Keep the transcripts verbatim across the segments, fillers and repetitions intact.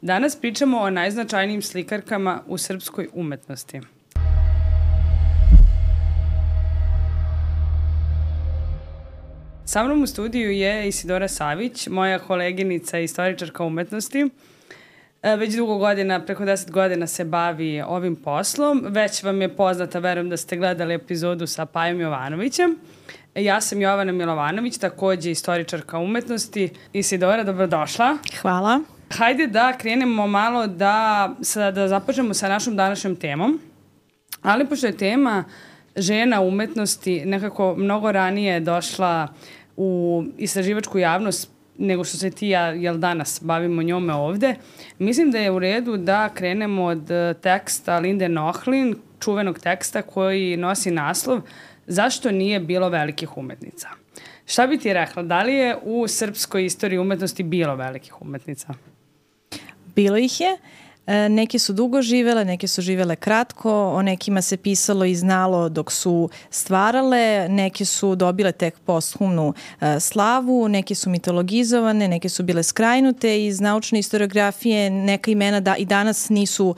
Danas pričamo o najznačajnijim slikarkama u srpskoj umetnosti. Sa mnom u studiju je Isidora Savić, moja koleginica i istoričarka umetnosti. Već dugo godina, preko deset godina se bavi ovim poslom. Već vam je poznata, verujem da ste gledali epizodu sa Pajom Jovanovićem. Ja sam Jovana Milovanović, takođe istoričarka umetnosti. Isidora, dobrodošla. Hvala. Hajde da krenemo malo da, da započnemo sa našom današnjom temom. Ali pošto je tema žena umetnosti nekako mnogo ranije došla u istraživačku javnost nego što se ti ja jel danas bavimo njome ovde, mislim da je u redu da krenemo od teksta Linde Nochlin, čuvenog teksta koji nosi naslov Zašto nije bilo velikih umetnica? Šta bi ti rekla, da li je u srpskoj istoriji umetnosti bilo velikih umetnica? Bilo ih je. Neke su dugo živele, neke su živele kratko, o nekima se pisalo i znalo dok su stvarale, neke su dobile tek posthumnu slavu, neke su mitologizovane, neke su bile skrajnute iz naučne historiografije, neka imena da i danas nisu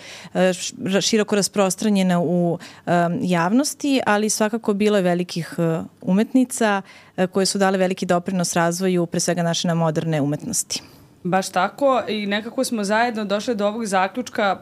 široko rasprostranjena u javnosti, ali svakako bilo je velikih umetnica koje su dale veliki doprinos razvoju pre svega naše moderne umetnosti. Baš tako i nekako smo zajedno došli do ovog zaključka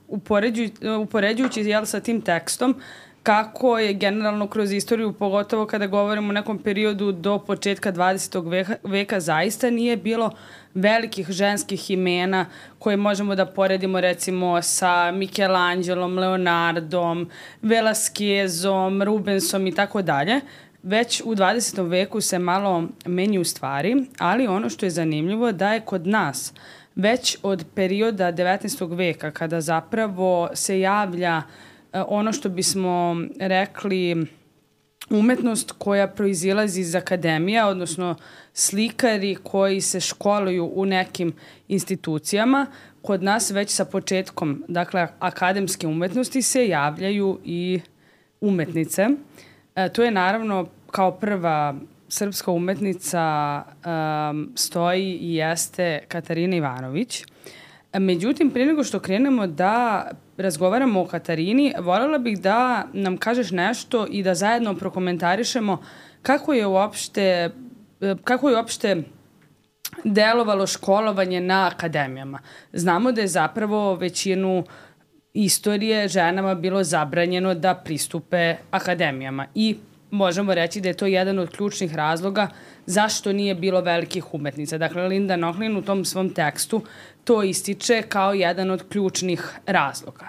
upoređujući, upoređujući jel, sa tim tekstom kako je generalno kroz istoriju, pogotovo kada govorimo o nekom periodu do početka dvadesetog veka, veka zaista nije bilo velikih ženskih imena koje možemo da poredimo recimo sa Michelangelom, Leonardom, Velasquezom, Rubensom i tako dalje. Već u dvadesetom veku se malo menju stvari, ali ono što je zanimljivo da je kod nas već od perioda devetnaestog veka kada zapravo se javlja ono što bismo rekli umetnost koja proizilazi iz akademija, odnosno slikari koji se školuju u nekim institucijama, kod nas već sa početkom, dakle, akademske umetnosti se javljaju i umetnice. E, to je naravno kao prva srpska umetnica um, stoji i jeste Katarina Ivanović. Međutim, prije nego što krenemo da razgovaramo o Katarini, voljela bih da nam kažeš nešto i da zajedno prokomentarišemo kako je uopšte, kako je uopšte delovalo školovanje na akademijama. Znamo da je zapravo većinu istorije ženama bilo zabranjeno da pristupe akademijama i možemo reći da je to jedan od ključnih razloga zašto nije bilo velikih umetnica. Dakle, Linda Nochlin u tom svom tekstu to ističe kao jedan od ključnih razloga.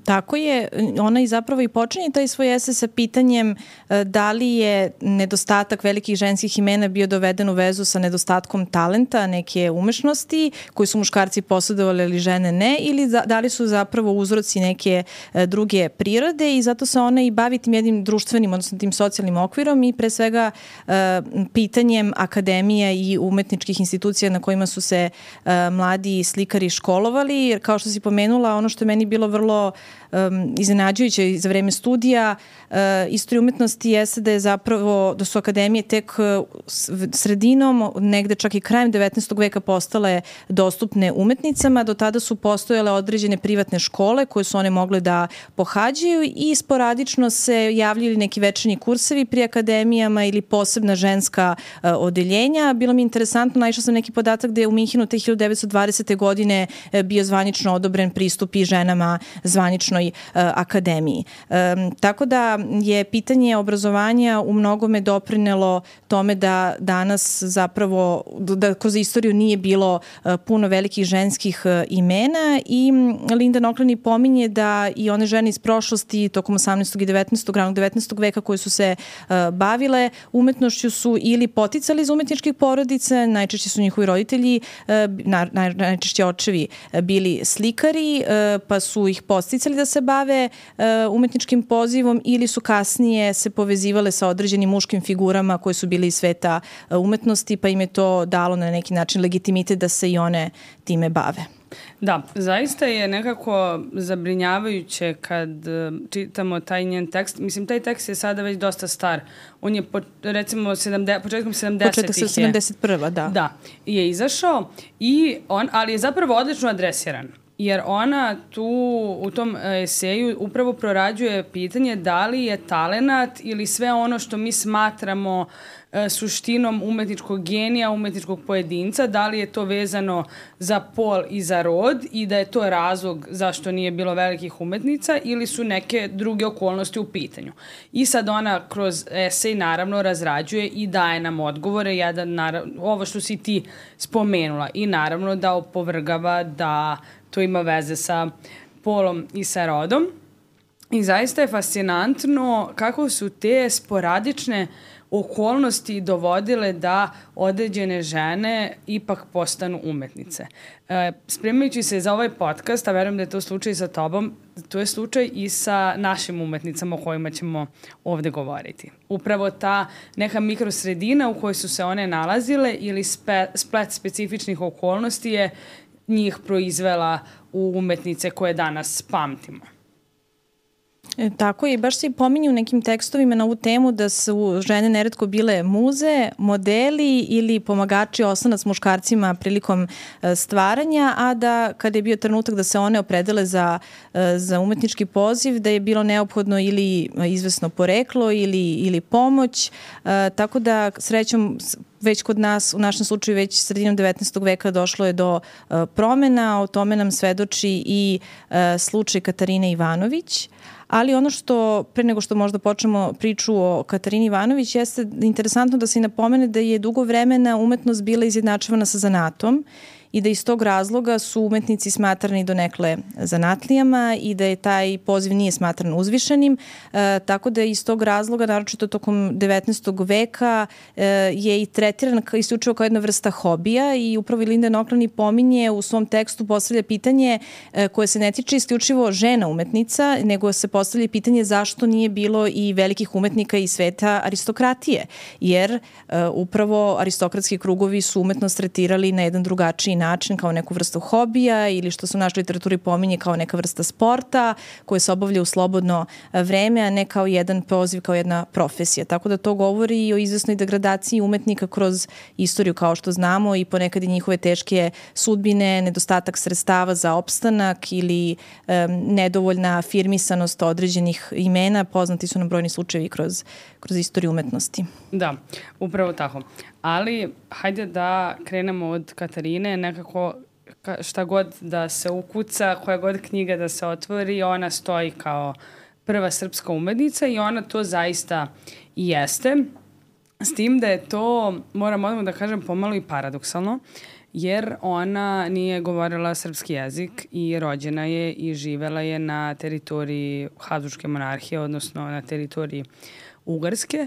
Tako je, ona i zapravo i počinje taj svoj esej sa pitanjem da li je nedostatak velikih ženskih imena bio doveden u vezu sa nedostatkom talenta, neke umešnosti koji su muškarci posjedovali ali žene ne, ili da li su zapravo uzroci neke druge prirode i zato se ona i bavi tim jednim društvenim, odnosno tim socijalnim okvirom i pre svega pitanjem akademija i umetničkih institucija na kojima su se mladi slikari školovali, jer kao što si pomenula, ono što je meni bilo vrlo Um, iznenađujuće za vreme studija uh, istorije umetnosti jeste da je zapravo, da su akademije tek uh, sredinom, negde čak i krajem devetnaestog veka postale dostupne umetnicama. Do tada su postojale određene privatne škole koje su one mogle da pohađaju i sporadično se javljali neki večernji kursevi pri akademijama ili posebna ženska uh, odeljenja. Bilo mi interesantno, naišla sam neki podatak da je u Minhenu te hiljadu devetsto dvadesete godine uh, bio zvanično odobren pristup i ženama zvaničnoj uh, akademiji. Um, tako da je pitanje obrazovanja u mnogome doprinelo tome da danas zapravo, da kroz istoriju nije bilo uh, puno velikih ženskih uh, imena i Linda Nochlin pominje da i one žene iz prošlosti tokom osamnaestog i devetnaestog ranog devetnaestog veka koje su se uh, bavile umetnošću su ili poticali iz umetničkih porodica, najčešće su njihovi roditelji, uh, na, naj, najčešće očevi uh, bili slikari, uh, pa su ih podsticali da se bave uh, umetničkim pozivom ili su kasnije se povezivale sa određenim muškim figurama koje su bili iz sveta uh, umetnosti, pa im je to dalo na neki način legitimitet da se i one time bave. Da, zaista je nekako zabrinjavajuće kad čitamo taj njen tekst. Mislim, taj tekst je sada već dosta star. On je, po, recimo, sedamde, početkom sedamdesetih Početak sedamdeset prva da. Da, je izašao, i on, ali je zapravo odlično adresiran. Jer ona tu u tom eseju upravo prorađuje pitanje da li je talenat ili sve ono što mi smatramo suštinom umetničkog genija, umetničkog pojedinca, da li je to vezano za pol i za rod i da je to razlog zašto nije bilo velikih umetnica ili su neke druge okolnosti u pitanju. I sad ona kroz esej naravno razrađuje i daje nam odgovore, jedan, naravno, ovo što si ti spomenula, i naravno da opovrgava da to ima veze sa polom i sa rodom. I zaista je fascinantno kako su te sporadične okolnosti dovodile da određene žene ipak postanu umetnice. E, spremajući se za ovaj podcast, a verujem da je to slučaj sa tobom, to je slučaj i sa našim umetnicama o kojima ćemo ovde govoriti. Upravo ta neka mikrosredina u kojoj su se one nalazile ili spe, splet specifičnih okolnosti je njih proizvela u umetnice koje danas pamtimo. E, tako je, baš se i pominju u nekim tekstovima na ovu temu da su žene neretko bile muze, modeli ili pomagači oslonac muškarcima prilikom e, stvaranja, a da kada je bio trenutak da se one opredele za, e, za umetnički poziv, da je bilo neophodno ili izvesno poreklo ili, ili pomoć, e, tako da srećom već kod nas, u našem slučaju već sredinom devetnaestog veka došlo je do uh, promena, o tome nam svedoči i uh, slučaj Katarine Ivanović. Ali ono što, pre nego što možda počnemo priču o Katarini Ivanović, jeste interesantno da se i napomene da je dugo vremena umetnost bila izjednačavana sa zanatom i da iz tog razloga su umetnici smatrani donekle zanatlijama i da je taj poziv nije smatran uzvišenim, e, tako da iz tog razloga, naročito tokom devetnaestog veka, e, je i tretiran isključivo kao jedna vrsta hobija i upravo Linden Oklani pominje u svom tekstu, postavlja pitanje e, koje se ne tiče isključivo žena umetnica, nego se postavlja pitanje zašto nije bilo i velikih umetnika iz sveta aristokratije, jer e, upravo aristokratski krugovi su umetnost tretirali na jedan drugačiji način, kao neku vrstu hobija ili što se u našoj literaturi pominje kao neka vrsta sporta koje se obavlja u slobodno vreme, a ne kao jedan poziv, kao jedna profesija. Tako da to govori i o izvesnoj degradaciji umetnika kroz istoriju, kao što znamo, i ponekad i njihove teške sudbine, nedostatak sredstava za opstanak ili um, nedovoljna afirmisanost određenih imena. Poznati su nam brojni slučajevi kroz, kroz istoriju umetnosti. Da, upravo tako. Ali hajde da krenemo od Katarine, nekako šta god da se ukuca, koja god knjiga da se otvori, ona stoji kao prva srpska umetnica i ona to zaista i jeste. S tim da je to, moram odmah da kažem, pomalo i paradoksalno, jer ona nije govorila srpski jezik i rođena je i živela je na teritoriji Habsburške monarhije, odnosno na teritoriji Ugarske,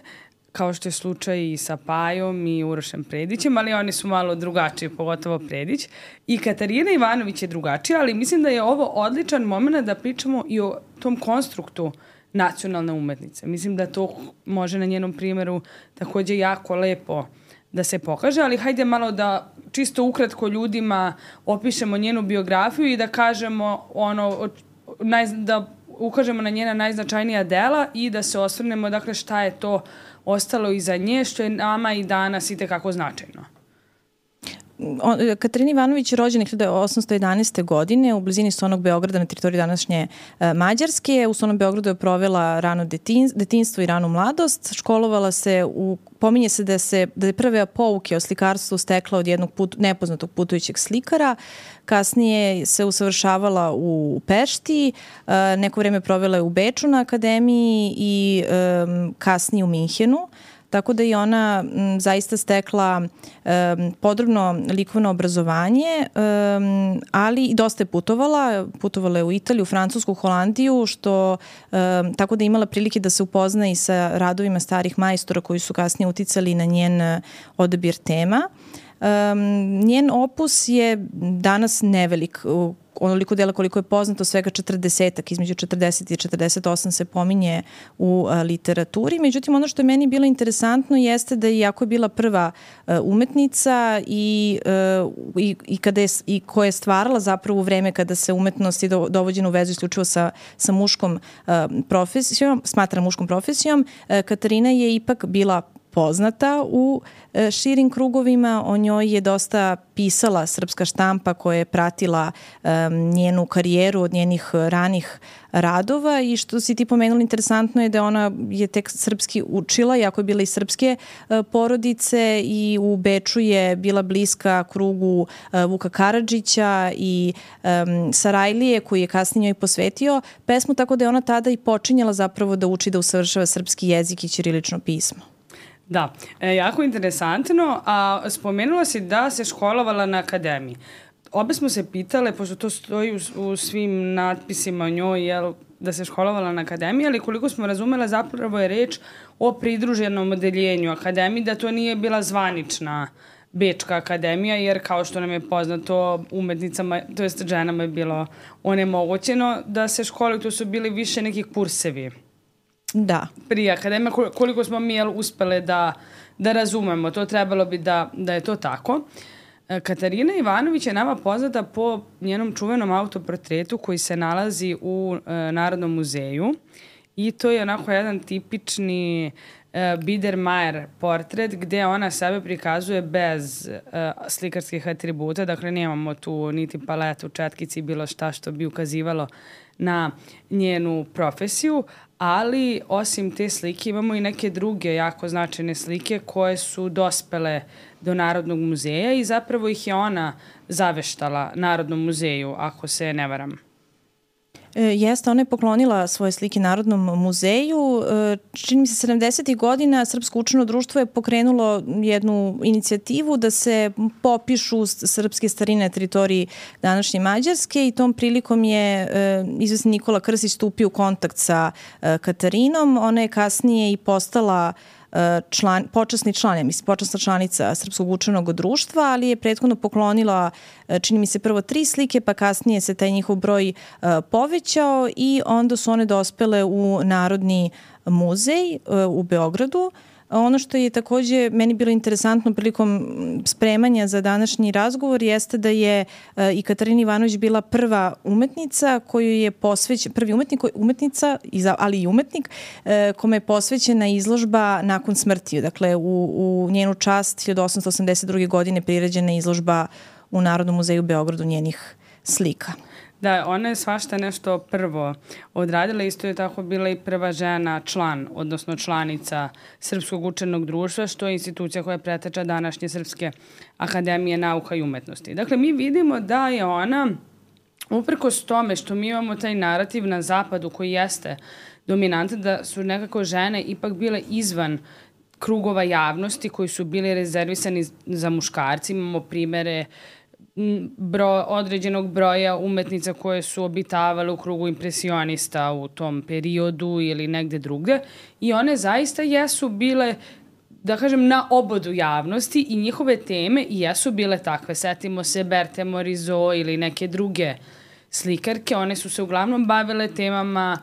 kao što je slučaj i sa Pajom i Urošem Predićem, ali oni su malo drugačiji, pogotovo Predić. I Katarina Ivanović je drugačija, ali mislim da je ovo odličan moment da pričamo i o tom konstruktu nacionalne umetnice. Mislim da to može na njenom primjeru takođe jako lepo da se pokaže, ali hajde malo da čisto ukratko ljudima opišemo njenu biografiju i da kažemo ono, naj, da ukažemo na njena najznačajnija dela i da se osvrnemo, dakle, šta je to ostalo iza nje, što je nama i danas i tekako značajno. Katarina Ivanović je rođena hiljadu osamsto jedanaeste. godine u blizini Sonog Beograda na teritoriji današnje e, Mađarske. U Sonom Beogradu je provela rano detin, detinstvo i ranu mladost. Školovala se u Pominje se da, se da je prve pouke o slikarstvu stekla od jednog put, nepoznatog putujućeg slikara. Kasnije se usavršavala u Pešti, e, neko vreme provela je u Beču na akademiji i e, kasnije u Minhenu. Tako da je ona m, zaista stekla um, podrobno likovno obrazovanje, um, ali i dosta je putovala. Putovala je u Italiju, Francusku, Holandiju, što um, tako da je imala prilike da se upozna i sa radovima starih majstora koji su kasnije uticali na njen odabir tema. Um, njen opus je danas nevelik, onoliko dela koliko je poznato, svega četrdesetak, između četrdeset i četrdeset osam se pominje u a, literaturi. Međutim, ono što je meni bilo interesantno jeste da iako je bila prva a, umetnica i, a, i, i, kada je, i koja je stvarala zapravo u vreme kada se umetnost je do, dovođena u vezu isključivo sa, sa muškom a, profesijom, smatra muškom profesijom, a, Katarina je ipak bila poznata u e, širim krugovima. O njoj je dosta pisala srpska štampa koja je pratila e, njenu karijeru od njenih ranih radova i što si ti pomenula interesantno je da ona je tek srpski učila, iako je bila iz srpske e, porodice i u Beču je bila bliska krugu e, Vuka Karadžića i e, Sarajlije koji je kasnije njoj posvetio pesmu, tako da je ona tada i počinjala zapravo da uči da usavršava srpski jezik i ćirilično pismo. Da, e, jako interesantno, a spomenula si da se školovala na akademiji. Obe smo se pitale, pošto to stoji u, u svim natpisima o njoj, jel, da se školovala na akademiji, ali koliko smo razumela zapravo je reč o pridruženom odeljenju akademiji, da to nije bila zvanična Bečka akademija, jer kao što nam je poznato umetnicama, to jest ženama je bilo onemogućeno da se školuju, to su bili više neki kursevi. Da. Prije akademija, koliko smo mi jel, uspele da, da razumemo, to trebalo bi da, da je to tako. Katarina Ivanović je nama poznata po njenom čuvenom autoportretu koji se nalazi u e, Narodnom muzeju i to je onako jedan tipični e, Biedermeier portret gde ona sebe prikazuje bez e, slikarskih atributa, dakle nemamo tu niti paletu, četkici, bilo šta što bi ukazivalo na njenu profesiju, ali osim te slike imamo i neke druge jako značajne slike koje su dospele do Narodnog muzeja i zapravo ih je ona zaveštala Narodnom muzeju, ako se ne varam. E, jeste, ona je poklonila svoje slike Narodnom muzeju. E, čini mi se sedamdesetih godina Srpsko učeno društvo je pokrenulo jednu inicijativu da se popišu srpske starine na teritoriji današnje Mađarske i tom prilikom je e, izvesni Nikola Krstić stupio u kontakt sa e, Katarinom. Ona je kasnije i postala član, počasni član, ja mislim, počasna članica Srpskog učenog društva, ali je prethodno poklonila, čini mi se, prvo tri slike, pa kasnije se taj njihov broj uh, povećao i onda su one dospele u Narodni muzej uh, u Beogradu. Ono što je takođe meni bilo interesantno prilikom spremanja za današnji razgovor jeste da je uh, i Katarina Ivanović bila prva umetnica koju je posvećen, prvi umetnik, umetnica, ali i umetnik, uh, kome je posvećena izložba nakon smrti. Dakle, u, u njenu čast hiljadu osamsto osamdeset druge. godine priređena izložba u Narodnom muzeju u Beogradu njenih slika. Da, ona je svašta nešto prvo odradila, isto je tako bila i prva žena član, odnosno članica Srpskog učenog društva, što je institucija koja preteča današnje Srpske akademije nauka i umetnosti. Dakle, mi vidimo da je ona, uprkos tome što mi imamo taj narativ na zapadu koji jeste dominantan, da su nekako žene ipak bile izvan krugova javnosti koji su bili rezervisani za muškarci. Imamo primere Bro, određenog broja umetnica koje su obitavale u krugu impresionista u tom periodu ili negde drugde i one zaista jesu bile, da kažem, na obodu javnosti i njihove teme i jesu bile takve. Setimo se Berthe Morisot ili neke druge slikarke, one su se uglavnom bavile temama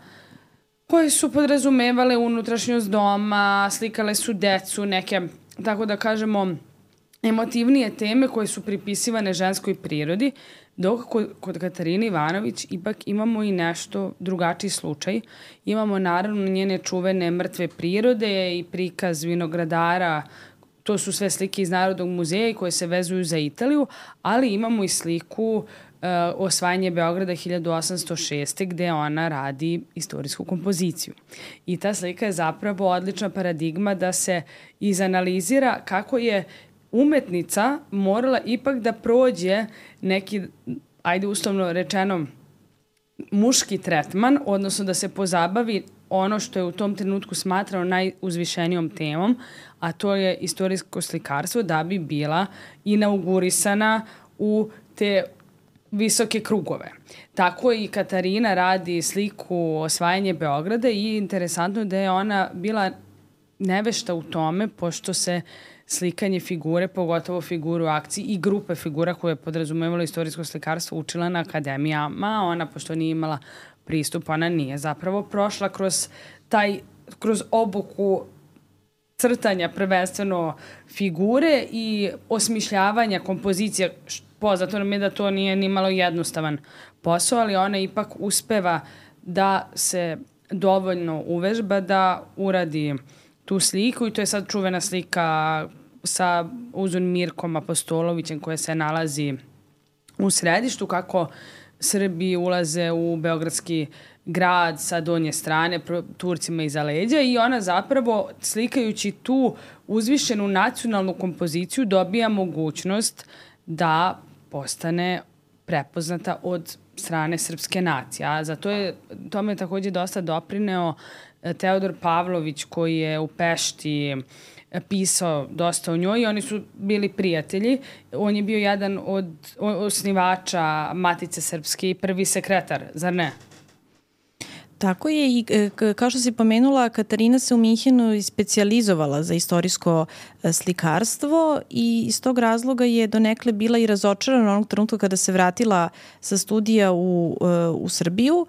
koje su podrazumevale unutrašnjost doma, slikale su decu, neke, tako da kažemo, emotivnije teme koje su pripisivane ženskoj prirodi, dok kod Katarine Ivanović ipak imamo i nešto drugačiji slučaj. Imamo naravno njene čuvene Mrtve prirode i prikaz vinogradara, to su sve slike iz Narodnog muzeja koje se vezuju za Italiju, ali imamo i sliku uh, osvajanje Beograda hiljadu osamsto šeste. gde ona radi istorijsku kompoziciju. I ta slika je zapravo odlična paradigma da se izanalizira kako je umetnica morala ipak da prođe neki, ajde uslovno rečeno, muški tretman, odnosno da se pozabavi ono što je u tom trenutku smatrao najuzvišenijom temom, a to je istorijsko slikarstvo, da bi bila inaugurisana u te visoke krugove. Tako i Katarina radi sliku Osvajanje Beograda i interesantno da je ona bila nevešta u tome, pošto se slikanje figure, pogotovo figuru akciji i grupe figura koje je podrazumevalo istorijsko slikarstvo učila na akademijama. Ona, pošto nije imala pristup, ona nije zapravo prošla kroz taj, kroz obuku crtanja prvenstveno figure i osmišljavanja kompozicija. Poznato nam je da to nije ni malo jednostavan posao, ali ona ipak uspeva da se dovoljno uvežba da uradi tu sliku i to je sad čuvena slika sa uzun Mirkom Apostolovićem koja se nalazi u središtu, kako Srbi ulaze u beogradski grad sa donje strane, Turcima iza leđa i ona zapravo slikajući tu uzvišenu nacionalnu kompoziciju dobija mogućnost da postane prepoznata od strane srpske nacije. A za to je, tome je takođe dosta doprineo Teodor Pavlović koji je u Pešti pisao dosta o njoj i oni su bili prijatelji. On je bio jedan od osnivača Matice Srpske i prvi sekretar, zar ne? Tako je i kao što si pomenula, Katarina se u Minhenu specijalizovala za istorijsko slikarstvo i iz tog razloga je donekle bila i razočarana onog trenutka kada se vratila sa studija u, u Srbiju,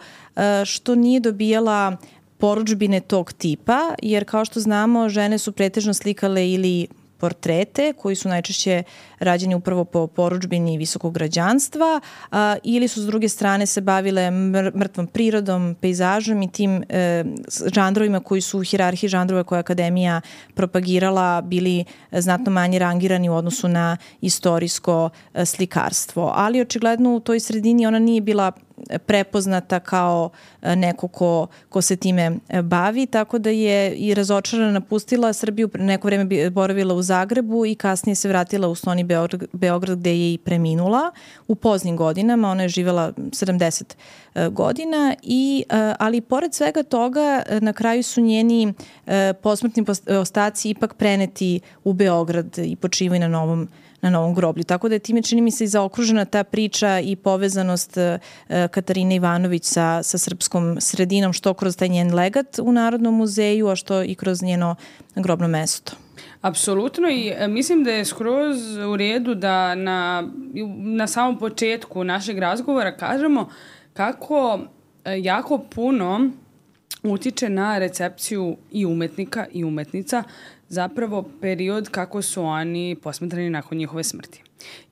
što nije dobijala porudžbine tog tipa, jer kao što znamo, žene su pretežno slikale ili portrete koji su najčešće rađeni upravo po porudžbini visokog građanstva a, ili su s druge strane se bavile mrtvom prirodom, pejzažom i tim e, žanrovima koji su u hijerarhiji žanrova koje akademija propagirala bili znatno manje rangirani u odnosu na istorijsko e, slikarstvo. Ali očigledno u toj sredini ona nije bila prepoznata kao neko ko, ko se time bavi, tako da je i razočarana napustila Srbiju, neko vreme boravila u Zagrebu i kasnije se vratila u Stoni Beograd, Beograd gde je i preminula u poznim godinama. Ona je živela sedamdeset godina, i, ali pored svega toga na kraju su njeni posmrtni ostaci ipak preneti u Beograd i počivaju na novom na novom groblju. Tako da je time, čini mi se, i zaokružena ta priča i povezanost Katarine Ivanović sa, sa srpskom sredinom, što kroz taj njen legat u Narodnom muzeju, a što i kroz njeno grobno mesto. Apsolutno, i mislim da je skroz u redu da na, na samom početku našeg razgovora kažemo kako jako puno utiče na recepciju i umetnika i umetnica zapravo period kako su oni posmatrani nakon njihove smrti.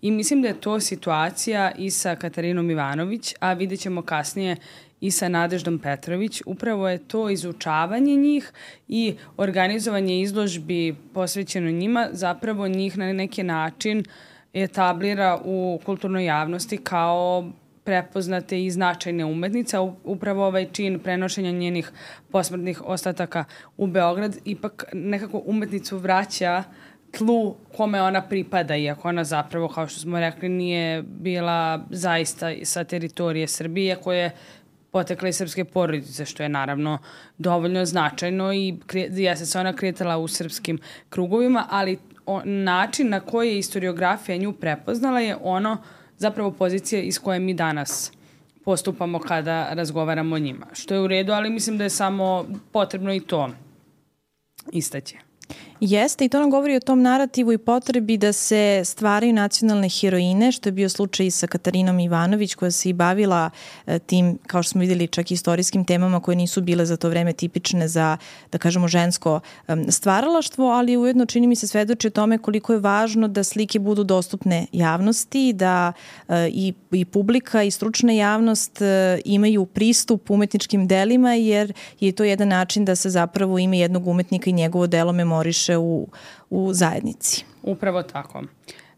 I mislim da je to situacija i sa Katarinom Ivanović, a vidjet ćemo kasnije i sa Nadeždom Petrović. Upravo je to izučavanje njih i organizovanje izložbi posvećeno njima zapravo njih na neki način etablira u kulturnoj javnosti kao prepoznate i značajne umetnice. Upravo ovaj čin prenošenja njenih posmrtnih ostataka u Beograd ipak nekako umetnicu vraća tlu kome ona pripada, iako ona zapravo, kao što smo rekli, nije bila zaista sa teritorije Srbije, koje potekla iz srpske porodice, što je naravno dovoljno značajno i jeste se ona kretala u srpskim krugovima, ali o, način na koji je historiografija nju prepoznala je ono zapravo pozicije iz koje mi danas postupamo kada razgovaramo o njima. Što je u redu, ali mislim da je samo potrebno i to istaći. Jeste, i to nam govori o tom narativu i potrebi da se stvaraju nacionalne heroine, što je bio slučaj i sa Katarinom Ivanović, koja se i bavila tim, kao što smo vidjeli, čak i istorijskim temama koje nisu bile za to vreme tipične za, da kažemo, žensko stvaralaštvo, ali ujedno čini mi se svedoči o tome koliko je važno da slike budu dostupne javnosti, da i, i publika i stručna javnost imaju pristup umetničkim delima, jer je to jedan način da se zapravo ime jednog umetnika i njegovo delo memoriše U, u zajednici. Upravo tako.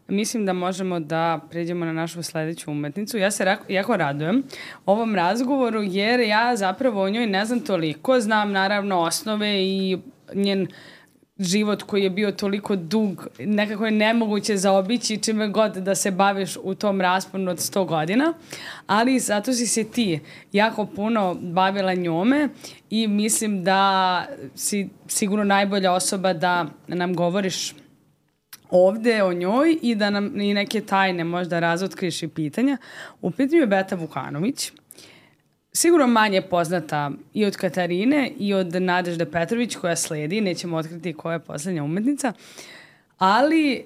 Mislim da možemo da pređemo na našu sledeću umetnicu. Ja se jako radujem ovom razgovoru jer ja zapravo o njoj ne znam toliko. Znam naravno osnove i njen život koji je bio toliko dug, nekako je nemoguće zaobići čime god da se baviš u tom rasponu od sto godina, ali zato si se ti jako puno bavila njome i mislim da si sigurno najbolja osoba da nam govoriš ovde o njoj i da nam i neke tajne možda razotkriš i pitanja. U pitanju je Beta Vukanović. sigurno manje poznata i od Katarine i od Nadežde Petrović koja sledi, nećemo otkriti koja je poslednja umetnica, ali e,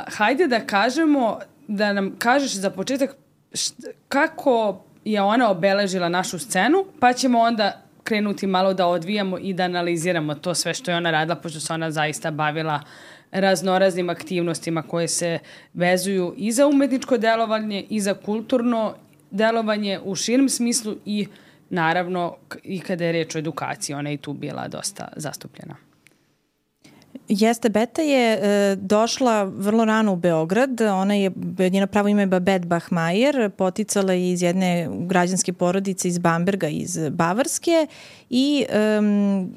hajde da kažemo, da nam kažeš za početak št, kako je ona obeležila našu scenu, pa ćemo onda krenuti malo da odvijamo i da analiziramo to sve što je ona radila, pošto se ona zaista bavila raznoraznim aktivnostima koje se vezuju i za umetničko delovanje i za kulturno delovanje u širem smislu i naravno i kada je reč o edukaciji, ona je i tu bila dosta zastupljena. Jeste, Beta je e, došla vrlo rano u Beograd. Ona je, njeno pravo ime je Babette Bachmeier, poticala je iz jedne građanske porodice iz Bamberga, iz Bavarske i um,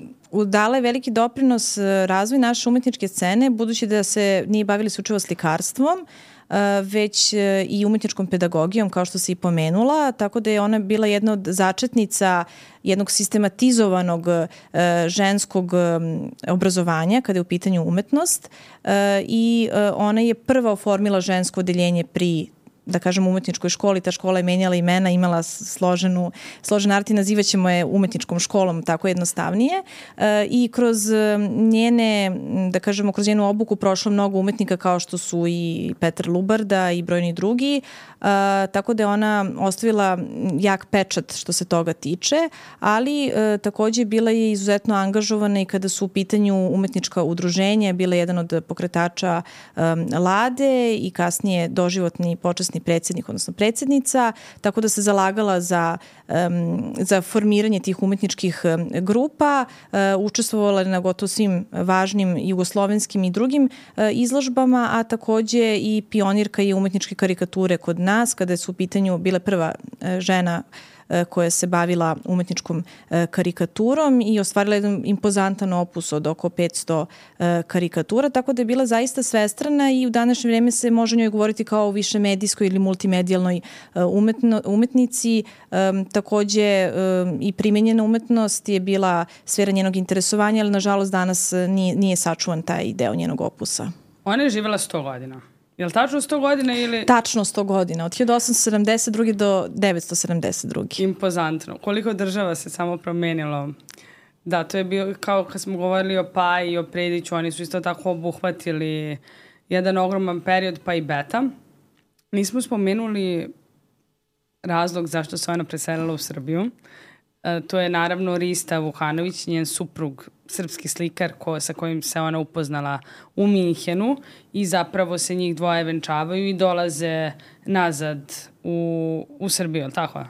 dala je veliki doprinos razvoju naše umetničke scene, budući da se nije bavili slučajno slikarstvom, već i umetničkom pedagogijom, kao što se i pomenula, tako da je ona bila jedna od začetnica jednog sistematizovanog ženskog obrazovanja kada je u pitanju umetnost i ona je prva oformila žensko odeljenje pri, da kažem, umetničkoj školi. Ta škola je menjala imena, imala složenu, složen art i nazivaćemo je umetničkom školom, tako jednostavnije. E, I kroz njene, da kažemo, kroz njenu obuku prošlo mnogo umetnika kao što su i Petar Lubarda i brojni drugi, e, tako da je ona ostavila jak pečat što se toga tiče, ali e, takođe bila je izuzetno angažovana i kada su u pitanju umetnička udruženja, bila je jedan od pokretača e, Lade i kasnije doživotni počasni predsjednik, odnosno predsjednica, tako da se zalagala za, um, za formiranje tih umetničkih um, grupa, uh, učestvovala na gotovo svim važnim jugoslovenskim i drugim uh, izložbama, a takođe i pionirka je umetničke karikature kod nas, kada su u pitanju bile prva uh, žena koja se bavila umetničkom karikaturom i ostvarila jedan impozantan opus od oko petsto karikatura, tako da je bila zaista svestrana i u današnje vreme se može njoj govoriti kao o više medijskoj ili multimedijalnoj umetno, umetnici. Takođe i primenjena umetnost je bila sfera njenog interesovanja, ali nažalost danas nije, nije sačuvan taj deo njenog opusa. Ona je živjela sto godina. Je li tačno sto godina ili... Tačno sto godina, od hiljadu osamsto sedamdeset druge do devetsto sedamdeset druge Impozantno. Koliko država se samo promenilo. Da, to je bio, kao kad smo govorili o Paji i o Prediću, oni su isto tako obuhvatili jedan ogroman period, pa i Beta. Nismo spomenuli razlog zašto se ona preselila u Srbiju. E, to je naravno Rista Vukanović, njen suprug, srpski slikar ko, sa kojim se ona upoznala u Minhenu i zapravo se njih dvoje venčavaju i dolaze nazad u, u Srbiju, ali tako je?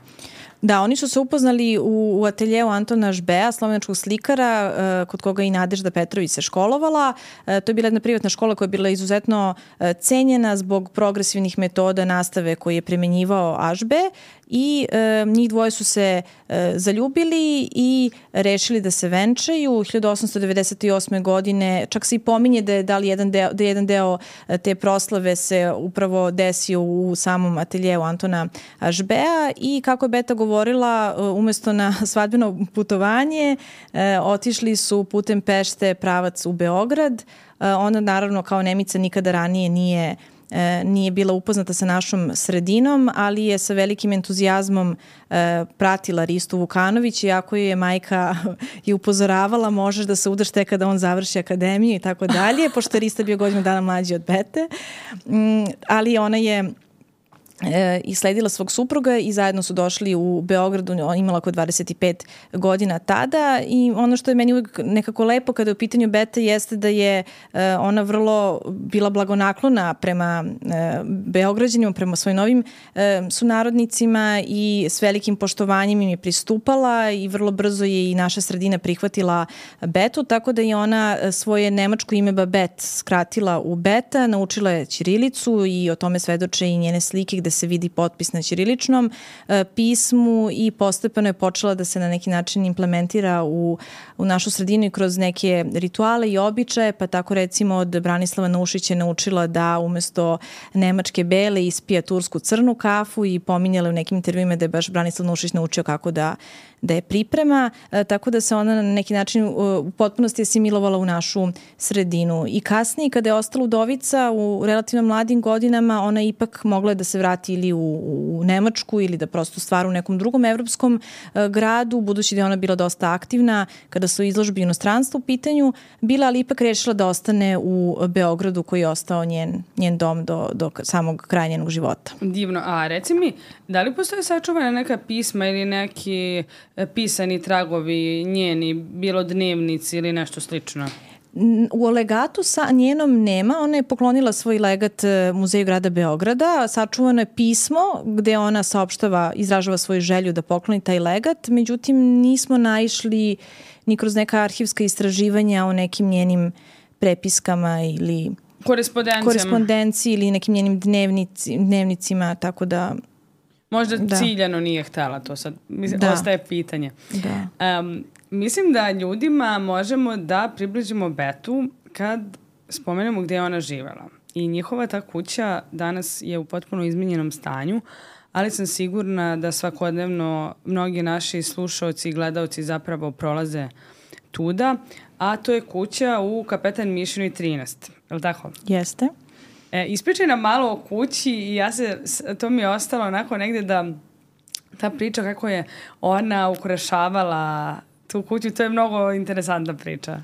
Da, oni su se upoznali u, u ateljeu Antona Žbea, slovenačkog slikara, uh, kod koga i Nadežda Petrović se školovala. Uh, to je bila jedna privatna škola koja je bila izuzetno uh, cenjena zbog progresivnih metoda nastave koje je primenjivao Ažbe i uh, njih dvoje su se uh, zaljubili i rešili da se venčaju. hiljadu osamsto devedeset osme godine čak se i pominje da je, da li jedan deo, da je jedan deo te proslave se upravo desio u samom ateljeu Antona Žbea i kako je Beta govorila, umesto na svadbeno putovanje, otišli su putem Pešte pravac u Beograd. Ona naravno kao Nemica nikada ranije nije nije bila upoznata sa našom sredinom, ali je sa velikim entuzijazmom pratila Ristu Vukanović, iako je majka je upozoravala možeš da se udaš tek kada on završi akademiju i tako dalje, pošto je Rista bio godinu dana mlađi od Bete. Ali ona je E, i sledila svog supruga i zajedno su došli u Beogradu, imala oko dvadeset pet godina tada i ono što je meni uvijek nekako lepo kada je u pitanju Beta jeste da je e, ona vrlo bila blagonaklona prema e, Beograđanima, prema svojim novim e, sunarodnicima i s velikim poštovanjem im je pristupala i vrlo brzo je i naša sredina prihvatila Betu, tako da je ona svoje nemačko ime Babette skratila u Beta, naučila je ćirilicu i o tome svedoče i njene slike gde se vidi potpis na ćiriličnom e, pismu i postepeno je počela da se na neki način implementira u, u našu sredinu i kroz neke rituale i običaje, pa tako recimo od Branislava Nušića je naučila da umesto nemačke bele ispija tursku crnu kafu i pominjala u nekim intervjuima da je baš Branislav Nušić naučio kako da da je priprema, e, tako da se ona na neki način u, u potpunosti asimilovala u našu sredinu. I kasnije, kada je ostala udovica u relativno mladim godinama, ona ipak mogla da se vrati vrati ili u, u Nemačku ili da prosto stvara u nekom drugom evropskom uh, gradu, budući da je ona bila dosta aktivna kada su izložbe inostranstva u pitanju, bila ali ipak rešila da ostane u Beogradu koji je ostao njen, njen dom do, do samog kraja njenog života. Divno. A reci mi, da li postoje sačuvana neka pisma ili neki pisani tragovi njeni, bilo dnevnici ili nešto slično? U legatu sa njenom nema, ona je poklonila svoj legat Muzeju grada Beograda, sačuvano je pismo gde ona saopštava, izražava svoju želju da pokloni taj legat, međutim nismo naišli ni kroz neka arhivska istraživanja o nekim njenim prepiskama ili korespondenciji ili nekim njenim dnevnici, dnevnicima, tako da... Možda da. ciljano nije htela to sad, mislim, da. ostaje pitanje. Da. Um, mislim da ljudima možemo da približimo Betu kad spomenemo gde je ona živela. I njihova ta kuća danas je u potpuno izmenjenom stanju, ali sam sigurna da svakodnevno mnogi naši slušaoci i gledaoci zapravo prolaze tuda, a to je kuća u Kapetan Mišinoj trinaest. Je li tako? Jeste. E, ispričaj nam malo o kući i ja se, to mi je ostalo onako negde da ta priča kako je ona ukrašavala tu kuću, to je mnogo interesantna priča.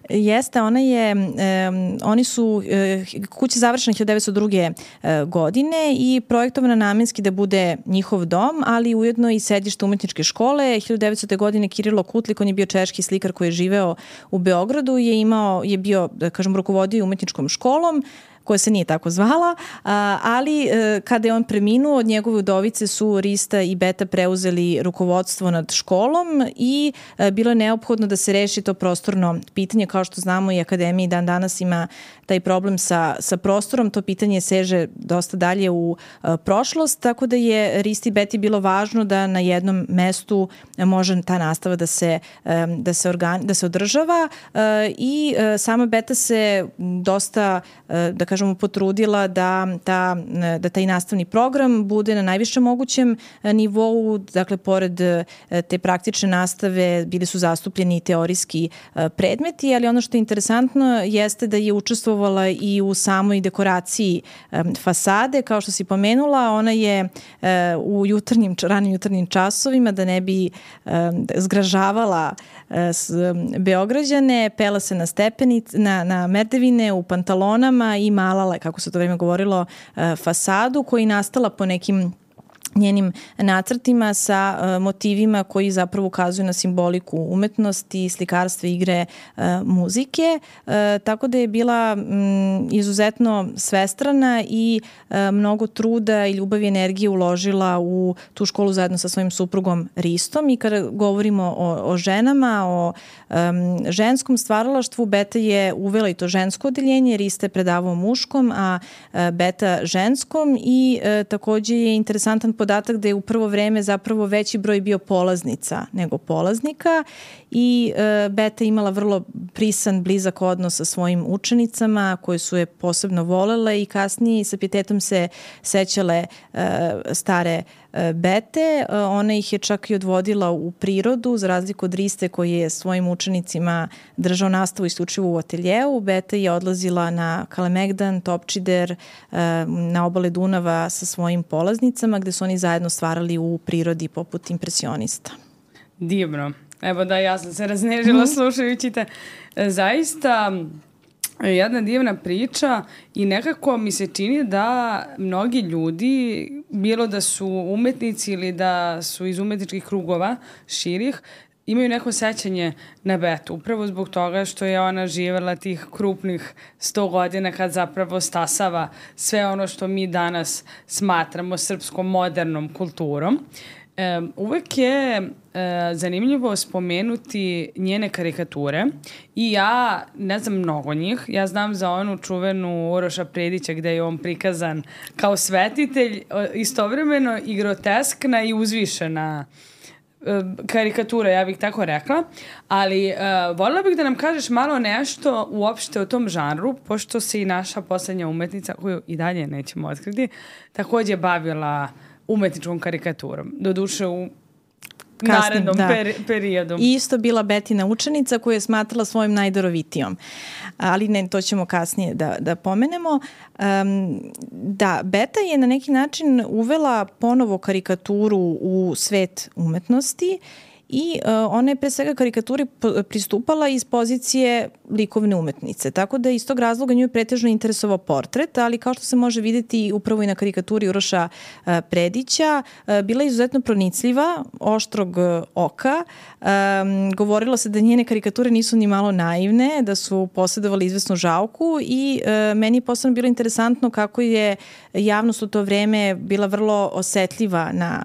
Jeste, ona je, um, oni su, uh, kuća završena hiljadu devetsto druge Uh, godine i projektovana namenski da bude njihov dom, ali ujedno i sedište umetničke škole. hiljadu devetstute godine Kirilo Kutlik, on je bio češki slikar koji je živeo u Beogradu, je imao, je bio, da kažem, rukovodio umetničkom školom, koja se nije tako zvala, ali kada je on preminuo, od njegove udovice su Rista i Beta preuzeli rukovodstvo nad školom i bilo je neophodno da se reši to prostorno pitanje. Kao što znamo, i akademija dan danas ima taj problem sa, sa prostorom, to pitanje seže dosta dalje u prošlost, tako da je Risti i Beti bilo važno da na jednom mestu može ta nastava da se, da se, organi, da se održava i sama Beta se dosta, da kažem, potrudila da, ta, da taj nastavni program bude na najvišem mogućem nivou. Dakle, pored te praktične nastave bili su zastupljeni i teorijski predmeti, ali ono što je interesantno jeste da je učestvovala i u samoj dekoraciji fasade. Kao što si pomenula, ona je u jutarnjim, ranim jutarnjim časovima, da ne bi zgražavala Beograđane, pela se na stepenice, na, na merdevine, u pantalonama i malala, kako se to vreme govorilo, fasadu koja je nastala po nekim njenim nacrtima sa uh, motivima koji zapravo ukazuju na simboliku umetnosti, slikarstva, igre, uh, muzike. Uh, tako da je bila um, izuzetno svestrana i uh, mnogo truda i ljubavi i energije uložila u tu školu zajedno sa svojim suprugom Ristom. I kada govorimo o, o ženama, o um, ženskom stvaralaštvu, Beta je uvela i to žensko odeljenje, Rista je predavao muškom, a uh, Beta ženskom i uh, takođe je interesantan podatak da je u prvo vreme zapravo veći broj bio polaznica nego polaznika i e, Beta imala vrlo prisan, blizak odnos sa svojim učenicama koje su je posebno volele i kasnije sa pijetetom se sećale e, stare e, Bete. E, ona ih je čak i odvodila u prirodu, za razliku od Riste koji je svojim učenicima držao nastavu isključivo u ateljeu. Beta je odlazila na Kalemegdan, Topčider, e, na obale Dunava sa svojim polaznicama gde su oni zajedno stvarali u prirodi poput impresionista. Divno. Evo da, ja sam se raznežila mm-hmm. slušajući te. Zaista jedna divna priča i nekako mi se čini da mnogi ljudi, bilo da su umetnici ili da su iz umetničkih krugova širih, imaju neko sećanje na Betu, upravo zbog toga što je ona živela tih krupnih sto godina kad zapravo stasava sve ono što mi danas smatramo srpskom modernom kulturom. E, uvek je e, zanimljivo spomenuti njene karikature i ja ne znam mnogo njih. Ja znam za onu čuvenu Uroša Predića gde je on prikazan kao svetitelj, istovremeno i groteskna i uzvišena karikatura, ja bih tako rekla, ali uh, voljela bih da nam kažeš malo nešto uopšte o tom žanru, pošto se i naša poslednja umetnica, koju i dalje nećemo otkriti, takođe bavila umetničkom karikaturom. Doduše u narednom da. peri, periodu. I isto bila Betina učenica koju je smatrala svojom najdarovitijom. Ali ne, to ćemo kasnije da, da pomenemo. Um, da, Beta je na neki način uvela ponovo karikaturu u svet umetnosti i uh, ona je pre svega karikaturi pristupala iz pozicije likovne umetnice. Tako da iz tog razloga nju je pretežno interesovao portret, ali kao što se može videti upravo i na karikaturi Uroša uh, Predića, uh, bila je izuzetno pronicljiva, oštrog uh, oka. Um, govorilo se da njene karikature nisu ni malo naivne, da su posjedovali izvesnu žalku i uh, meni je posebno bilo interesantno kako je javnost u to vreme bila vrlo osetljiva na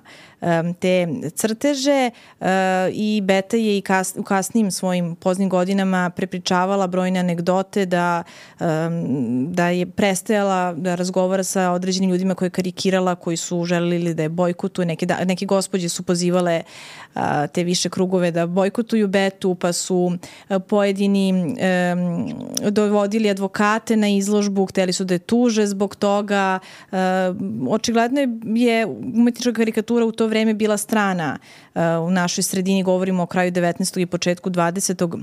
te crteže uh, i Beta je i kas, u kasnim svojim poznim godinama prepričavala brojne anegdote da, um, da je prestajala da razgovara sa određenim ljudima koje je karikirala, koji su želili da je bojkotuju. Neke, da, neke gospođe su pozivale uh, te više krugove da bojkotuju Betu, pa su uh, pojedini um, dovodili advokate na izložbu, hteli su da je tuže zbog toga. Uh, očigledno je umetnička karikatura u to vreme bila strana uh, u našoj sredini, govorimo o kraju devetnaestog i početku dvadesetog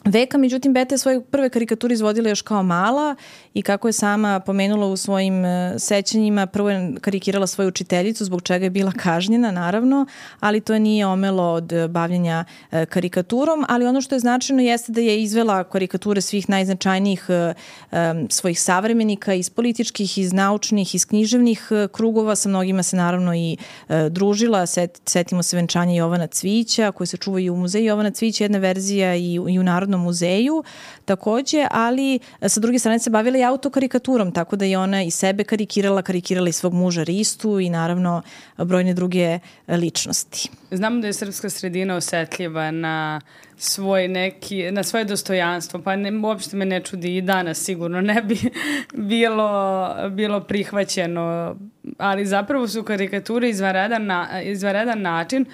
veka, međutim Beta je svoje prve karikature izvodila još kao mala i kako je sama pomenula u svojim uh, sećanjima, prvo je karikirala svoju učiteljicu, zbog čega je bila kažnjena naravno, ali to nije omelo od bavljenja uh, karikaturom, ali ono što je značajno jeste da je izvela karikature svih najznačajnijih uh, um, svojih savremenika iz političkih, iz naučnih, iz književnih uh, krugova, sa mnogima se naravno i uh, družila. Set, setimo se venčanja Jovana Cvijića koji se čuva i u muzeju Jovana Cvijića, jedna verzija i, i u Narodnom muzeju takođe, ali sa druge strane se bavila i autokarikaturom, tako da je ona i sebe karikirala, karikirala i svog muža Ristu i naravno brojne druge ličnosti. Znamo da je srpska sredina osetljiva na svoj neki, na svoje dostojanstvo, pa ne, uopšte me ne čudi i danas sigurno ne bi bilo, bilo prihvaćeno, ali zapravo su karikature izvanredan, na, izvanredan način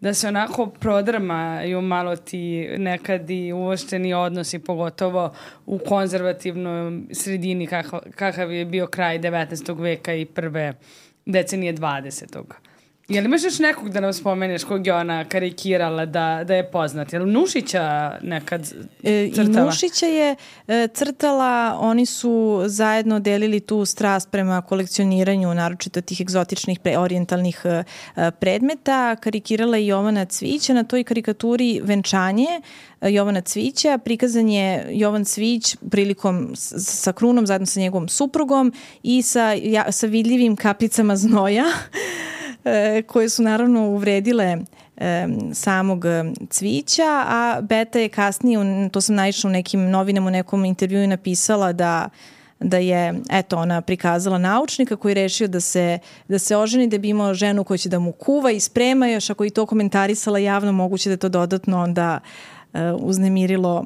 da se onako prodrmaju malo ti nekad i uošteni odnosi, pogotovo u konzervativnoj sredini kakav, kakav je bio kraj devetnaestog veka i prve decenije dvadesetog. Je li imaš još nekog da nam spomeneš kog je ona karikirala da, da je poznat? Je li Nušića nekad crtala? I Nušića je e, crtala, oni su zajedno delili tu strast prema kolekcioniranju, naročito tih egzotičnih pre, orijentalnih e, predmeta. Karikirala je Jovana Cvijića, na toj karikaturi Venčanje e, Jovana Cvijića. Prikazan je Jovan Cvijić prilikom s, sa krunom zajedno sa njegovom suprugom i sa, ja, sa vidljivim kapicama znoja koje su naravno uvredile e, samog Cvijića, a Beta je kasnije, to sam naišla u nekim novinama, u nekom intervjuu napisala da da je, eto, ona prikazala naučnika koji je rešio da se, da se oženi, da bi imao ženu koja će da mu kuva i sprema, još ako i to komentarisala javno, moguće da je to dodatno onda e, uznemirilo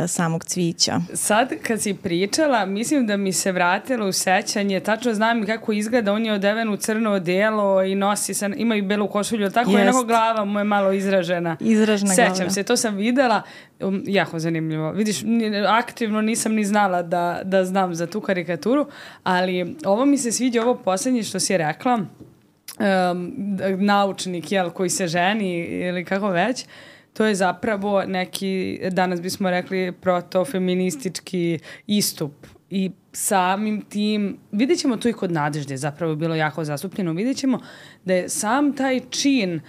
samog Cvijića. Sad kad si pričala, mislim da mi se vratilo u sećanje, tačno znam kako izgleda, on je odeven u crno odelo i nosi, sa, ima i belu košulju, tako je onako glava mu je malo izražena. Izražena glava. Sećam se, to sam videla, um, jako zanimljivo. Vidiš, aktivno nisam ni znala da, da znam za tu karikaturu, ali ovo mi se sviđa, ovo poslednje što si rekla, um, naučnik, jel, koji se ženi ili kako već, to je zapravo neki, danas bismo rekli, protofeministički istup. I samim tim, vidjet ćemo to i kod Nadežde, zapravo je bilo jako zastupljeno, vidjet ćemo da je sam taj čin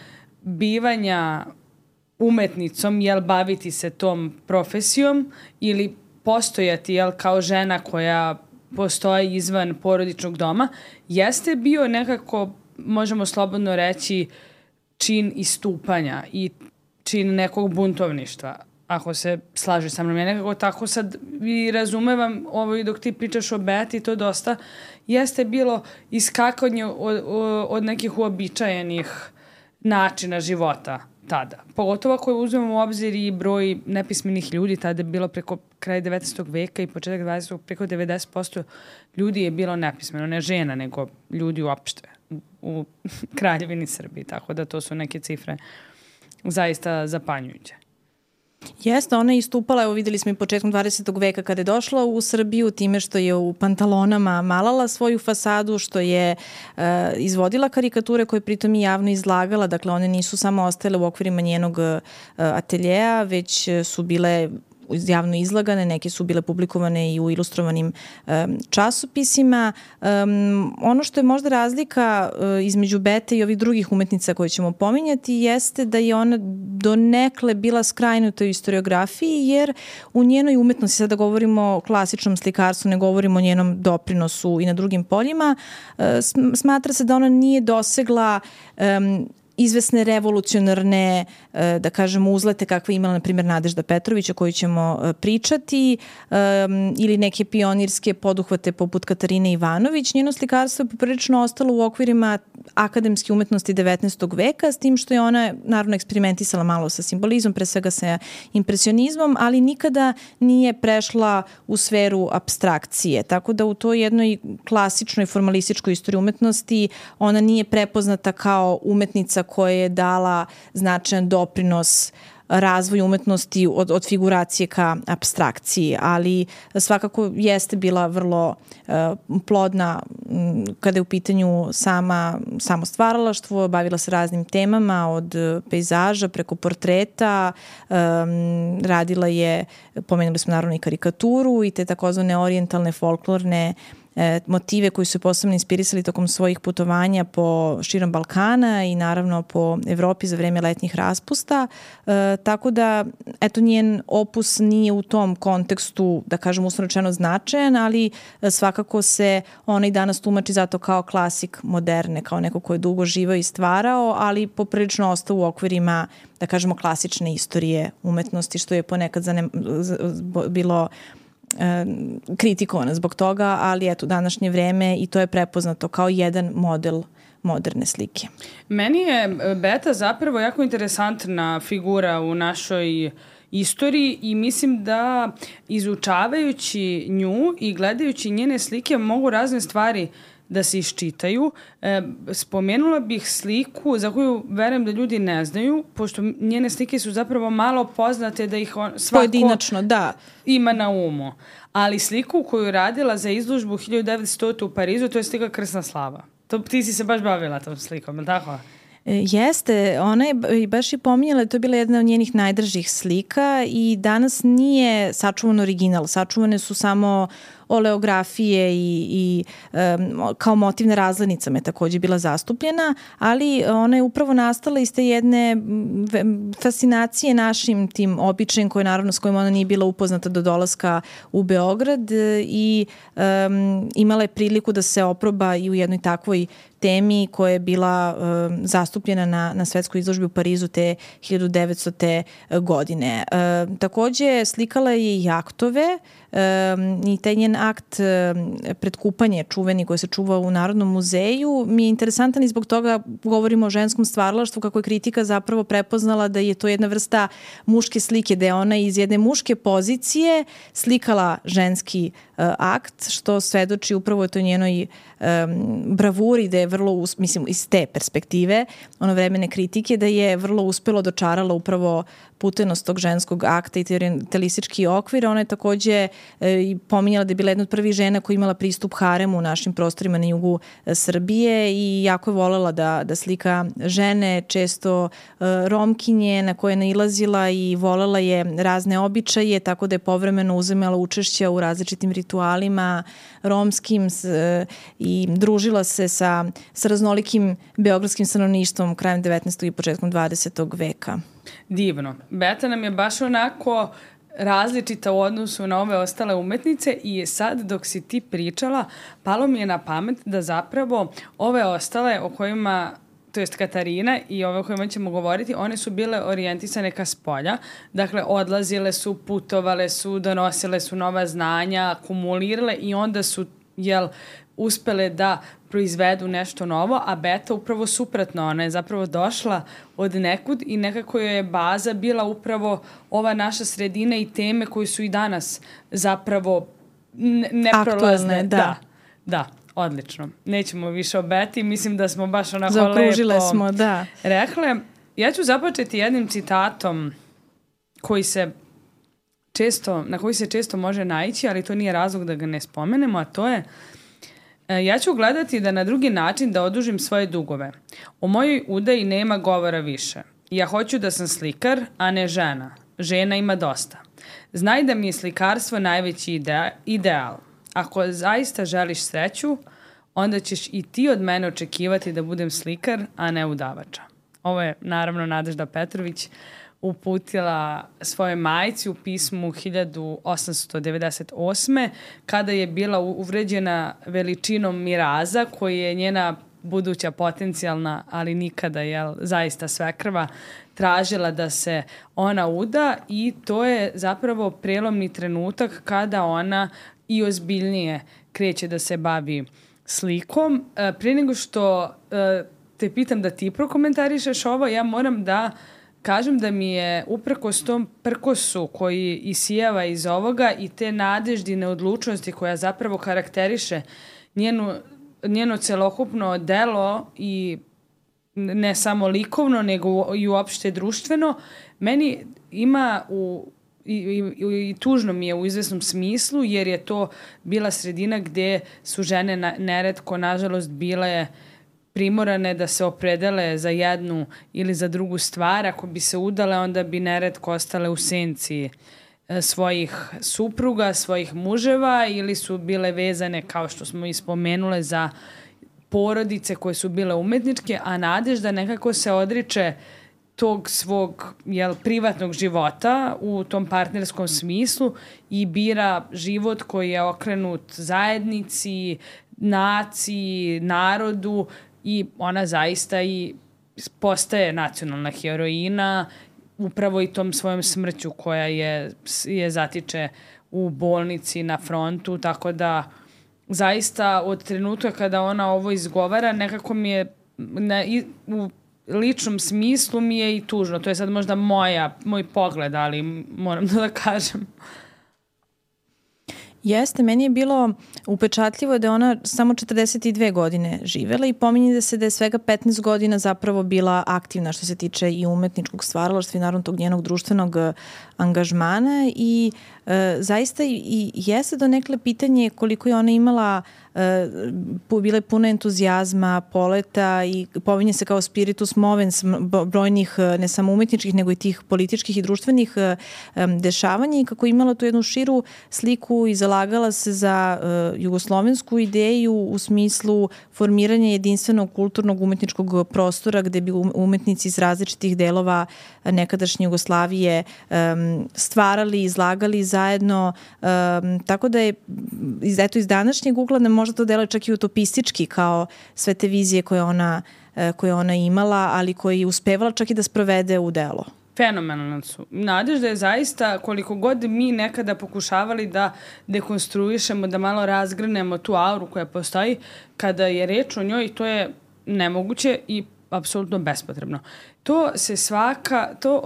bivanja umetnicom, jel, baviti se tom profesijom ili postojati, jel, kao žena koja postoji izvan porodičnog doma, jeste bio nekako, možemo slobodno reći, čin istupanja i čin nekog buntovništva, ako se slaže sa mnom. Ja nekako tako sad i razumevam ovo i dok ti pričaš o Beti, to dosta jeste bilo iskakanje od, od nekih uobičajenih načina života tada. Pogotovo ako uzmemo u obzir i broj nepismenih ljudi, tada je bilo preko kraja devetnaestog veka i početak dvadesetog preko devedeset posto ljudi je bilo nepismeno, ne žena, nego ljudi uopšte u, u Kraljevini Srbiji, tako da to su neke cifre zaista zapanjujuće. Jeste, ona je istupala, evo videli smo i početkom dvadesetog veka kada je došla u Srbiju, time što je u pantalonama malala svoju fasadu, što je uh, izvodila karikature koje pritom i javno izlagala, dakle one nisu samo ostale u okvirima njenog uh, ateljeja, već su bile javno izlagane, neke su bile publikovane i u ilustrovanim um, časopisima. Um, ono što je možda razlika uh, između Bete i ovih drugih umetnica koje ćemo pominjati jeste da je ona donekle bila skrajnuta u historiografiji, jer u njenoj umetnosti, sada govorimo o klasičnom slikarstvu, ne govorimo o njenom doprinosu i na drugim poljima, uh, smatra se da ona nije dosegla um, izvesne revolucionarne, da kažemo, uzlete kakve imala, na primjer, Nadežda Petrović, o kojoj ćemo pričati, ili neke pionirske poduhvate poput Katarine Ivanović. Njeno slikarstvo je poprilično ostalo u okvirima akademske umetnosti devetnaestog veka, s tim što je ona naravno eksperimentisala malo sa simbolizmom, pre svega sa impresionizmom, ali nikada nije prešla u sferu apstrakcije. Tako da u toj jednoj klasičnoj formalističkoj istoriji umetnosti ona nije prepoznata kao umetnica koja je dala značajan doprinos razvoju umetnosti od, od figuracije ka apstrakciji, ali svakako jeste bila vrlo uh, plodna m, kada je u pitanju sama, samo stvaralaštvo, bavila se raznim temama od pejzaža preko portreta, um, radila je, pomenuli smo naravno i karikaturu i te takozvane orijentalne folklorne motive koji su posebno inspirisali tokom svojih putovanja po širom Balkana i naravno po Evropi za vreme letnjih raspusta. E, tako da, eto, njen opus nije u tom kontekstu, da kažem, uslovno rečeno značajan, ali svakako se ona i danas tumači zato kao klasik moderne, kao neko ko je dugo živao i stvarao, ali poprilično ostao u okvirima, da kažemo, klasične istorije umetnosti, što je ponekad zanem, bilo kritikovana zbog toga, ali eto, današnje vreme i to je prepoznato kao jedan model moderne slike. Meni je Beta zapravo jako interesantna figura u našoj istoriji i mislim da izučavajući nju i gledajući njene slike mogu razne stvari da se iščitaju. E, spomenula bih sliku za koju verujem da ljudi ne znaju, pošto njene slike su zapravo malo poznate da ih on, svako pojedinačno, da, ima na umu. Ali sliku koju je radila za izložbu hiljadu devetsto u Parizu, to je slika Krsna slava. To, ti si se baš bavila tom slikom, je li tako? Jeste, ona je baš i pominjala, to je bila jedna od njenih najdržih slika i danas nije sačuvan original, sačuvane su samo oleografije i, i um, kao motiv na razglednicama je također bila zastupljena, ali ona je upravo nastala iz te jedne fascinacije našim tim običajem koje naravno s kojim ona nije bila upoznata do dolaska u Beograd i um, imala je priliku da se oproba i u jednoj takvoj temi koja je bila um, zastupljena na, na svetskoj izložbi u Parizu te hiljadu devetstote godine. Um, takođe slikala je i aktove um, i taj njen akt um, pred kupanje čuveni koji se čuva u Narodnom muzeju mi je interesantan i zbog toga govorimo o ženskom stvaralaštvu, kako je kritika zapravo prepoznala da je to jedna vrsta muške slike, da je ona iz jedne muške pozicije slikala ženski uh, akt, što svedoči upravo to njenoj um, bravuri, da je vrlo, mislim, iz te perspektive ono vremene kritike, da je vrlo uspelo dočarala upravo putenost tog ženskog akta i te orientalistički okvir. Ona je takođe e, pominjala da je bila jedna od prvih žena koja imala pristup haremu u našim prostorima na jugu e, Srbije i jako je volela da, da slika žene, često e, Romkinje na koje je nailazila i volela je razne običaje, tako da je povremeno uzimala učešća u različitim ritualima romskim s, e, i družila se sa, sa raznolikim beogradskim stanovništvom krajem devetnaestog i početkom dvadesetog veka. Divno. Beta nam je baš onako različita u odnosu na ove ostale umetnice i sad dok si ti pričala, palo mi je na pamet da zapravo ove ostale o kojima, to jest Katarina i ove o kojima ćemo govoriti, one su bile orijentisane ka spolja. Dakle, odlazile su, putovale su, donosile su nova znanja, akumulirale i onda su, jel, uspele da proizvedu nešto novo, a Beta upravo suprotno, ona je zapravo došla od nekud i nekako je baza bila upravo ova naša sredina i teme koje su i danas zapravo neprolazne. Aktualne, da. Da, da, odlično. Nećemo više o Beti, mislim da smo baš onako zaokružile lepo smo, da. rekle. Ja ću započeti jednim citatom koji se često, na koji se često može naići, ali to nije razlog da ga ne spomenemo, a to je ja ću gledati da na drugi način da odužim svoje dugove. O mojoj udaji nema govora više. Ja hoću da sam slikar, a ne žena. Žena ima dosta. Znaj da mi je slikarstvo najveći ide- ideal. Ako zaista želiš sreću, onda ćeš i ti od mene očekivati da budem slikar, a ne udavača. Ovo je naravno Nadežda Petrović uputila svojoj majci u pismu hiljadu osamsto devedeset osme kada je bila uvređena veličinom miraza koji je njena buduća potencijalna, ali nikada jel, zaista svekrva, tražila da se ona uda i to je zapravo prelomni trenutak kada ona i ozbiljnije kreće da se bavi slikom. E, prije nego što e, te pitam da ti prokomentarišeš ovo, ja moram da kažem da mi je uprkos tom prkosu koji isijava iz ovoga i te nadeždine odlučnosti koja zapravo karakteriše njenu, njeno celokupno delo i ne samo likovno, nego i uopšte društveno, meni ima u I, i, i tužno mi je u izvesnom smislu, jer je to bila sredina gde su žene na, neretko, nažalost, bile primorane da se opredele za jednu ili za drugu stvar. Ako bi se udale, onda bi neretko ostale u senci svojih supruga, svojih muževa ili su bile vezane, kao što smo i spomenule, za porodice koje su bile umetničke, a Nadežda nekako se odriče tog svog jel, privatnog života u tom partnerskom smislu i bira život koji je okrenut zajednici, naciji, narodu i ona zaista i postaje nacionalna heroina upravo i tom svojom smrću koja je, je zatiče u bolnici na frontu, tako da zaista od trenutka kada ona ovo izgovara nekako mi je na, u ličnom smislu mi je i tužno. To je sad možda moja, moj pogled, ali moram da kažem. Jeste, meni je bilo upečatljivo da je ona samo četrdeset dve godine živela i pominje da se da je svega petnaest godina zapravo bila aktivna što se tiče i umetničkog stvaralaštva i naravno tog njenog društvenog angažmana i e, zaista i jeste donekle pitanje koliko je ona imala e, bila je puna entuzijazma, poleta i pominje se kao spiritus movens brojnih ne samo umetničkih nego i tih političkih i društvenih e, dešavanja i kako je imala tu jednu širu sliku i zalagala se za uh, jugoslovensku ideju u smislu formiranja jedinstvenog kulturnog umetničkog prostora gde bi umetnici iz različitih delova nekadašnje Jugoslavije um, stvarali, izlagali zajedno. Um, tako da je eto, iz današnjeg ugla ne možda to deluje čak i utopistički kao sve te vizije koje ona, uh, koje ona imala, ali koje je uspevala čak i da sprovede u delo. Fenomenalno su. Nadežda je zaista, koliko god mi nekada pokušavali da dekonstruišemo, da malo razgrnemo tu auru koja postoji, kada je reč o njoj, to je nemoguće i apsolutno bespotrebno. To se svaka, to,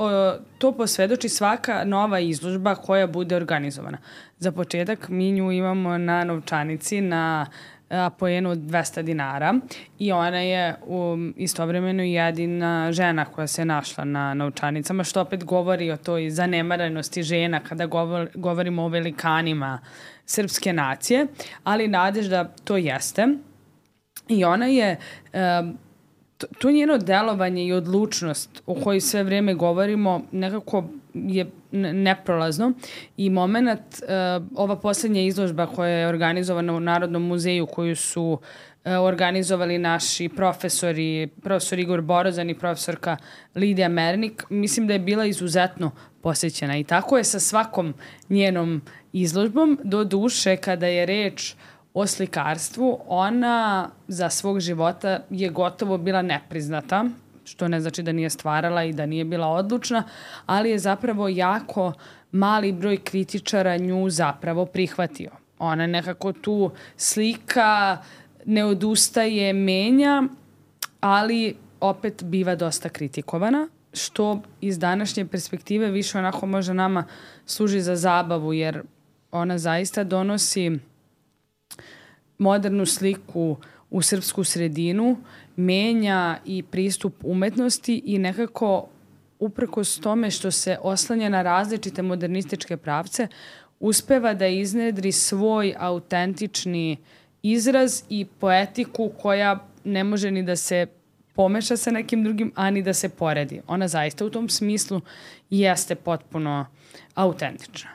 to posvedoči svaka nova izložba koja bude organizovana. Za početak mi nju imamo na novčanici, na Apoenu od dvesta dinara i ona je um, istovremeno jedina žena koja se našla na novčanicama, što opet govori o toj zanemaranosti žena kada govor, govorimo o velikanima srpske nacije, ali Nadežda to jeste i ona je um, to, to njeno delovanje i odlučnost o kojoj sve vreme govorimo nekako je neprolazno i moment, uh, ova poslednja izložba koja je organizovana u Narodnom muzeju koju su uh, organizovali naši profesori, profesor Igor Borozan i profesorka Lidija Mernik, mislim da je bila izuzetno posećena i tako je sa svakom njenom izložbom, do duše kada je reč o slikarstvu, ona za svog života je gotovo bila nepriznata, što ne znači da nije stvarala i da nije bila odlučna, ali je zapravo jako mali broj kritičara nju zapravo prihvatio. Ona nekako tu slika, ne odustaje, menja, ali opet biva dosta kritikovana, što iz današnje perspektive više onako možda nama služi za zabavu, jer ona zaista donosi modernu sliku u srpsku sredinu, menja i pristup umetnosti i nekako uprkos tome što se oslanja na različite modernističke pravce, uspeva da iznedri svoj autentični izraz i poetiku koja ne može ni da se pomeša sa nekim drugim, a ni da se poredi. Ona zaista u tom smislu jeste potpuno autentična.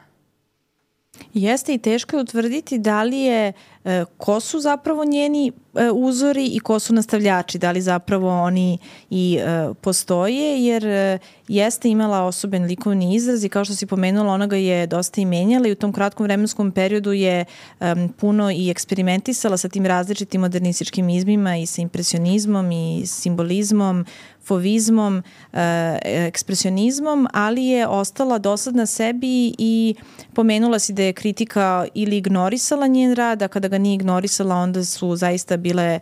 Jeste i teško je utvrditi da li je, e, ko su zapravo njeni e, uzori i ko su nastavljači, da li zapravo oni i e, postoje, jer e, jeste imala osoben likovni izraz i kao što si pomenula, ona ga je dosta i menjala i u tom kratkom vremenskom periodu je e, puno i eksperimentisala sa tim različitim modernističkim izmima i sa impresionizmom i simbolizmom, fovizmom, e, ekspresionizmom, ali je ostala dosadna sebi i pomenula si da je kritika ili ignorisala njen rad, a kada ga nije ignorisala, onda su zaista bile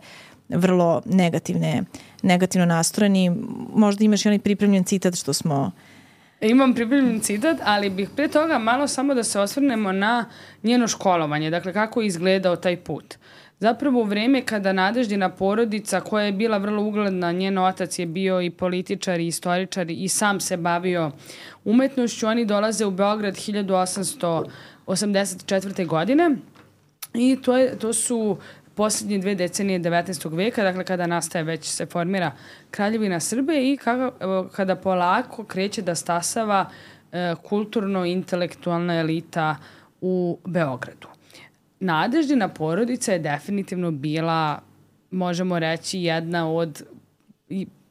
vrlo negativne, negativno nastrojeni. Možda imaš i onaj pripremljen citat što smo... Imam pripremljen citat, ali bih pre toga malo samo da se osvrnemo na njeno školovanje, dakle kako je izgledao taj put. Zapravo u vreme kada Nadeždina porodica, koja je bila vrlo ugledna, njen otac je bio i političar i istoričar i sam se bavio umetnošću, oni dolaze u Beograd hiljadu osamsto osamdeset četvrte. godine i to, je, to su posljednje dve decenije devetnaestog veka, dakle kada nastaje već se formira Kraljevina Srbije i kada, kada polako kreće da stasava e, kulturno-intelektualna elita u Beogradu. Nadeždina porodica je definitivno bila, možemo reći, jedna od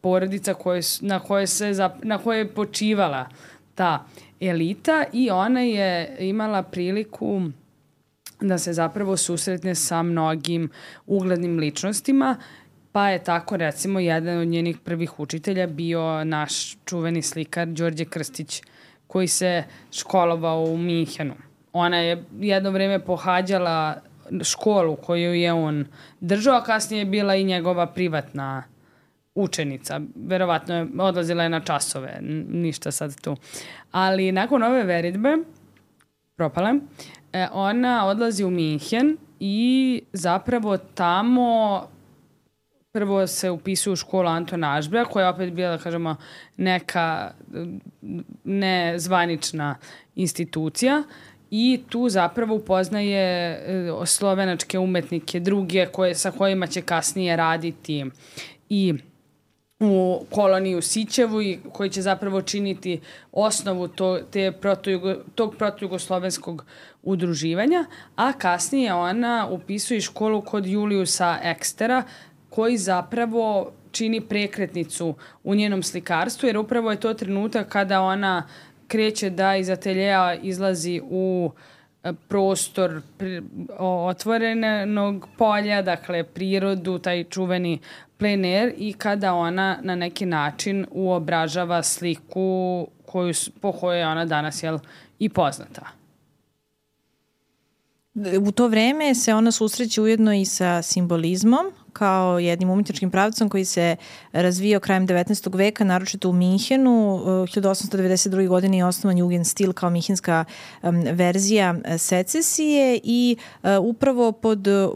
porodica koje, na, koje se, na koje je počivala ta elita i ona je imala priliku da se zapravo susretne sa mnogim uglednim ličnostima, pa je tako recimo jedan od njenih prvih učitelja bio naš čuveni slikar Đorđe Krstić, koji se školovao u Minhenu. Ona je jedno vreme pohađala školu koju je on držao, a kasnije je bila i njegova privatna učenica. Verovatno je odlazila je na časove, ništa sad tu. Ali nakon ove veritbe, propale, ona odlazi u Minhen i zapravo tamo prvo se upisuje u školu Anton Ašbra, koja je opet bila, da kažemo, neka nezvanična institucija. I tu zapravo upoznaje slovenačke umetnike, druge koje, sa kojima će kasnije raditi i u koloniji u Sićevu i koji će zapravo činiti osnovu to, te protojugo, tog protujugoslovenskog udruživanja, a kasnije ona upisuje školu kod Juliusa Ekstera, koji zapravo čini prekretnicu u njenom slikarstvu, jer upravo je to trenutak kada ona kreće da iz ateljeja izlazi u prostor otvorenog polja, dakle prirodu, taj čuveni plein air, i kada ona na neki način uobražava sliku koju, po kojoj je ona danas jel, i poznata. U to vreme se ona susreće ujedno i sa simbolizmom, kao jednim umetničkim pravcom koji se razvijao krajem devetnaestog veka, naročito u Minhenu. hiljadu osamsto devedeset druge. godine je osnovan Jugendstil kao minhenska um, verzija secesije i uh, upravo pod, uh,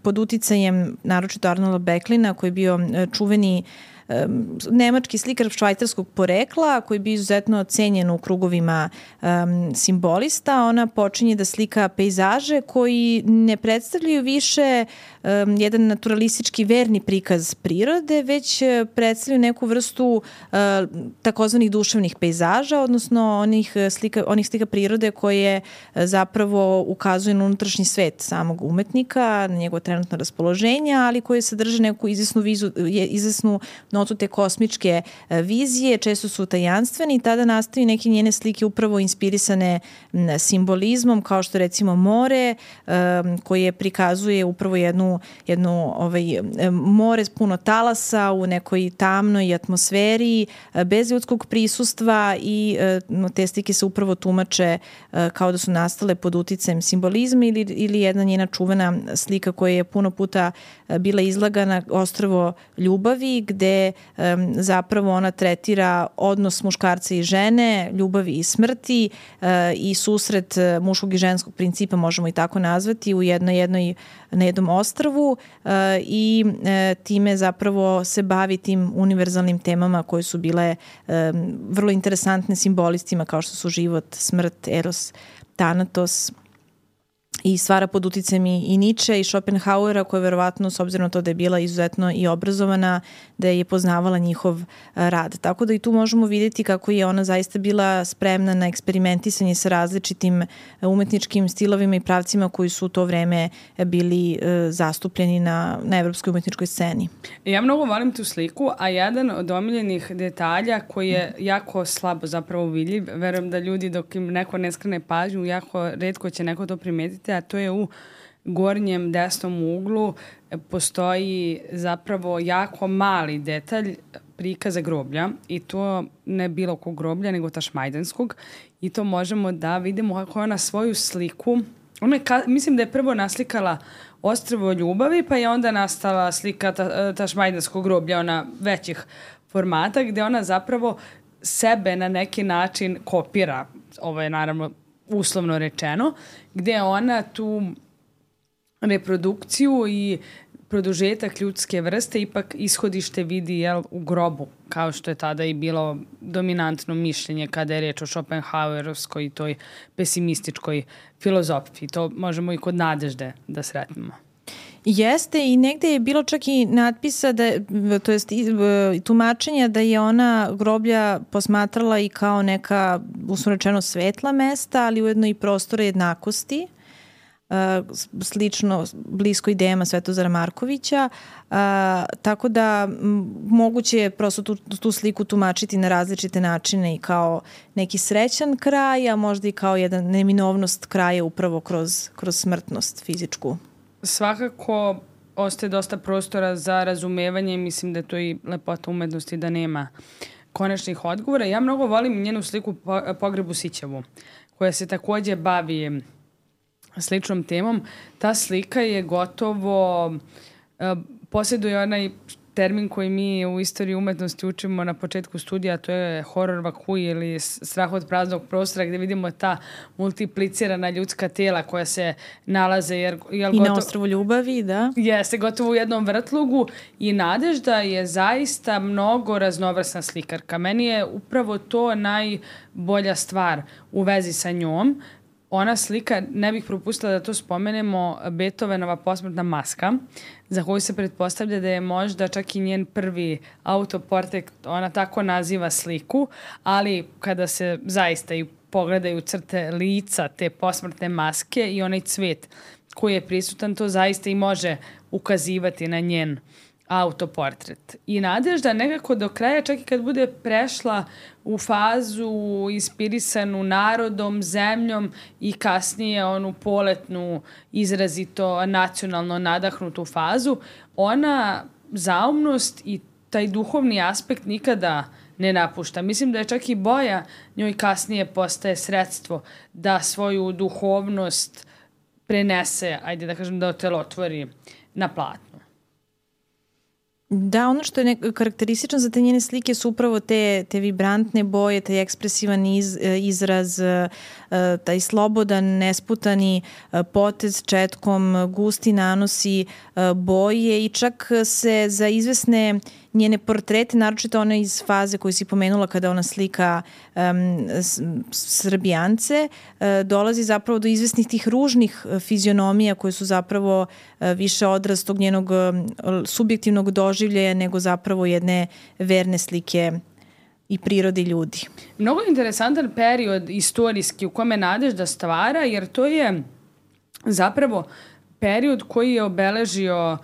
pod uticajem naročito Arnolda Böcklina, koji je bio čuveni nemački slikar švajcarskog porekla koji bi izuzetno cenjen u krugovima um, simbolista. Ona počinje da slika pejzaže koji ne predstavljaju više um, jedan naturalistički verni prikaz prirode, već predstavljaju neku vrstu uh, takozvanih duševnih pejzaža, odnosno onih slika, onih slika prirode koje zapravo ukazuju na unutrašnji svet samog umetnika, na njegovo trenutno raspoloženje, ali koje sadrže neku izvesnu, vizu, izvesnu notu te kosmičke vizije, često su tajanstveni i tada nastaju neke njene slike upravo inspirisane simbolizmom, kao što recimo more, koje prikazuje upravo jednu, jednu ovaj, more puno talasa u nekoj tamnoj atmosferi, bez ljudskog prisustva, i te slike se upravo tumače kao da su nastale pod uticajem simbolizma, ili, ili jedna njena čuvena slika koja je puno puta bila izlagana, Ostrvo ljubavi, gde gde um, zapravo ona tretira odnos muškarca i žene, ljubavi i smrti uh, i susret muškog i ženskog principa, možemo i tako nazvati, u jednoj, jednoj, na jednom ostrvu uh, i uh, time zapravo se bavi tim univerzalnim temama koje su bile um, vrlo interesantne simbolistima kao što su život, smrt, eros, thanatos, i stvara pod uticajem i, i Nietzsche i Schopenhauera, koja je verovatno, s obzirom na to da je bila izuzetno i obrazovana, da je poznavala njihov rad. Tako da i tu možemo vidjeti kako je ona zaista bila spremna na eksperimentisanje sa različitim umetničkim stilovima i pravcima koji su u to vreme bili e, zastupljeni na, na evropskoj umetničkoj sceni. Ja mnogo volim tu sliku, a jedan od omiljenih detalja koji je jako slabo zapravo vidljiv, verujem da ljudi dok im neko ne skrene pažnju, jako retko će neko to primetiti, a to je u gornjem desnom uglu postoji zapravo jako mali detalj prikaza groblja i to ne bilo kog groblja, nego tašmajdanskog, i to možemo da vidimo kako ona svoju sliku, ona je, mislim da je prvo naslikala Ostrvo ljubavi, pa je onda nastala slika ta, tašmajdanskog groblja, ona većih formata, gde ona zapravo sebe na neki način kopira, ovo je naravno uslovno rečeno, gde ona tu reprodukciju i produžetak ljudske vrste ipak ishodište vidi, jel, u grobu, kao što je tada i bilo dominantno mišljenje kada je reč o Schopenhauerovskoj i toj pesimističkoj filozofiji. To možemo i kod Nadežde da sretnemo. Jeste, i negde je bilo čak i natpisa, da, to jest tumačenja da je ona groblja posmatrala i kao neka, uslovno rečeno, svetla mesta, ali ujedno i prostora jednakosti, slično, blisko idejama Svetozara Markovića, a, tako da m, moguće je prosto tu, tu sliku tumačiti na različite načine i kao neki srećan kraj, a možda i kao jedan neminovnost kraja upravo kroz, kroz smrtnost fizičku. Svakako ostaje dosta prostora za razumevanje i mislim da je to i lepota umetnosti da nema konačnih odgovora. Ja mnogo volim njenu sliku Pogrebu Sićevu, koja se takođe bavi sličnom temom. Ta slika je gotovo, uh, posjeduje onaj termin koji mi u istoriji umetnosti učimo na početku studija, to je horor vakuj ili strah od praznog prostora, gde vidimo ta multiplicirana ljudska tela koja se nalaze. Jer, jer I gotovo, na Ostrvu ljubavi, da. Jeste, gotovo u jednom vrtlugu, i Nadežda je zaista mnogo raznovrsna slikarka. Meni je upravo to najbolja stvar u vezi sa njom. Ona slika, ne bih propustila da to spomenemo, Beethovenova posmrtna maska, za koju se pretpostavlja da je možda čak i njen prvi autoportret, ona tako naziva sliku, ali kada se zaista i pogledaju crte lica te posmrtne maske i onaj cvet koji je prisutan, to zaista i može ukazivati na njen autoportret. I Nadežda nekako do kraja, čak i kad bude prešla u fazu inspirisanu narodom, zemljom i kasnije onu poletnu, izrazito nacionalno nadahnutu fazu, ona zaumnost i taj duhovni aspekt nikada ne napušta. Mislim da je čak i boja njoj kasnije postaje sredstvo da svoju duhovnost prenese, ajde da kažem, da otelotvori na platnu. Da, ono što je karakteristično za te njene slike su upravo te, te vibrantne boje, taj ekspresivan iz, izraz, taj slobodan, nesputani potez četkom, gusti nanosi boje i čak se za izvesne njene portrete, naročito one iz faze koju si pomenula kada ona slika um, Srbijance, uh, dolazi zapravo do izvesnih tih ružnih fizionomija koje su zapravo uh, više odraz tog njenog uh, subjektivnog doživljaja nego zapravo jedne verne slike i prirode ljudi. Mnogo interesantan period istorijski u kome Nadežda stvara, jer to je zapravo period koji je obeležio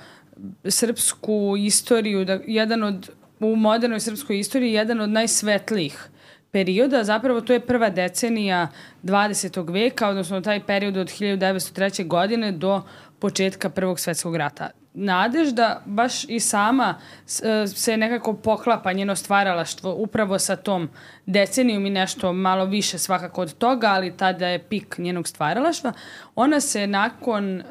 srpsku istoriju, da, jedan od, u modernoj srpskoj istoriji, jedan od najsvetlijih perioda. Zapravo to je prva decenija dvadesetog veka, odnosno taj period od hiljadu devetsto treće. godine do početka Prvog svetskog rata. Nadežda baš i sama se nekako poklapa njeno stvaralaštvo upravo sa tom decenijom i nešto malo više svakako od toga, ali tada je pik njenog stvaralaštva. Ona se nakon uh,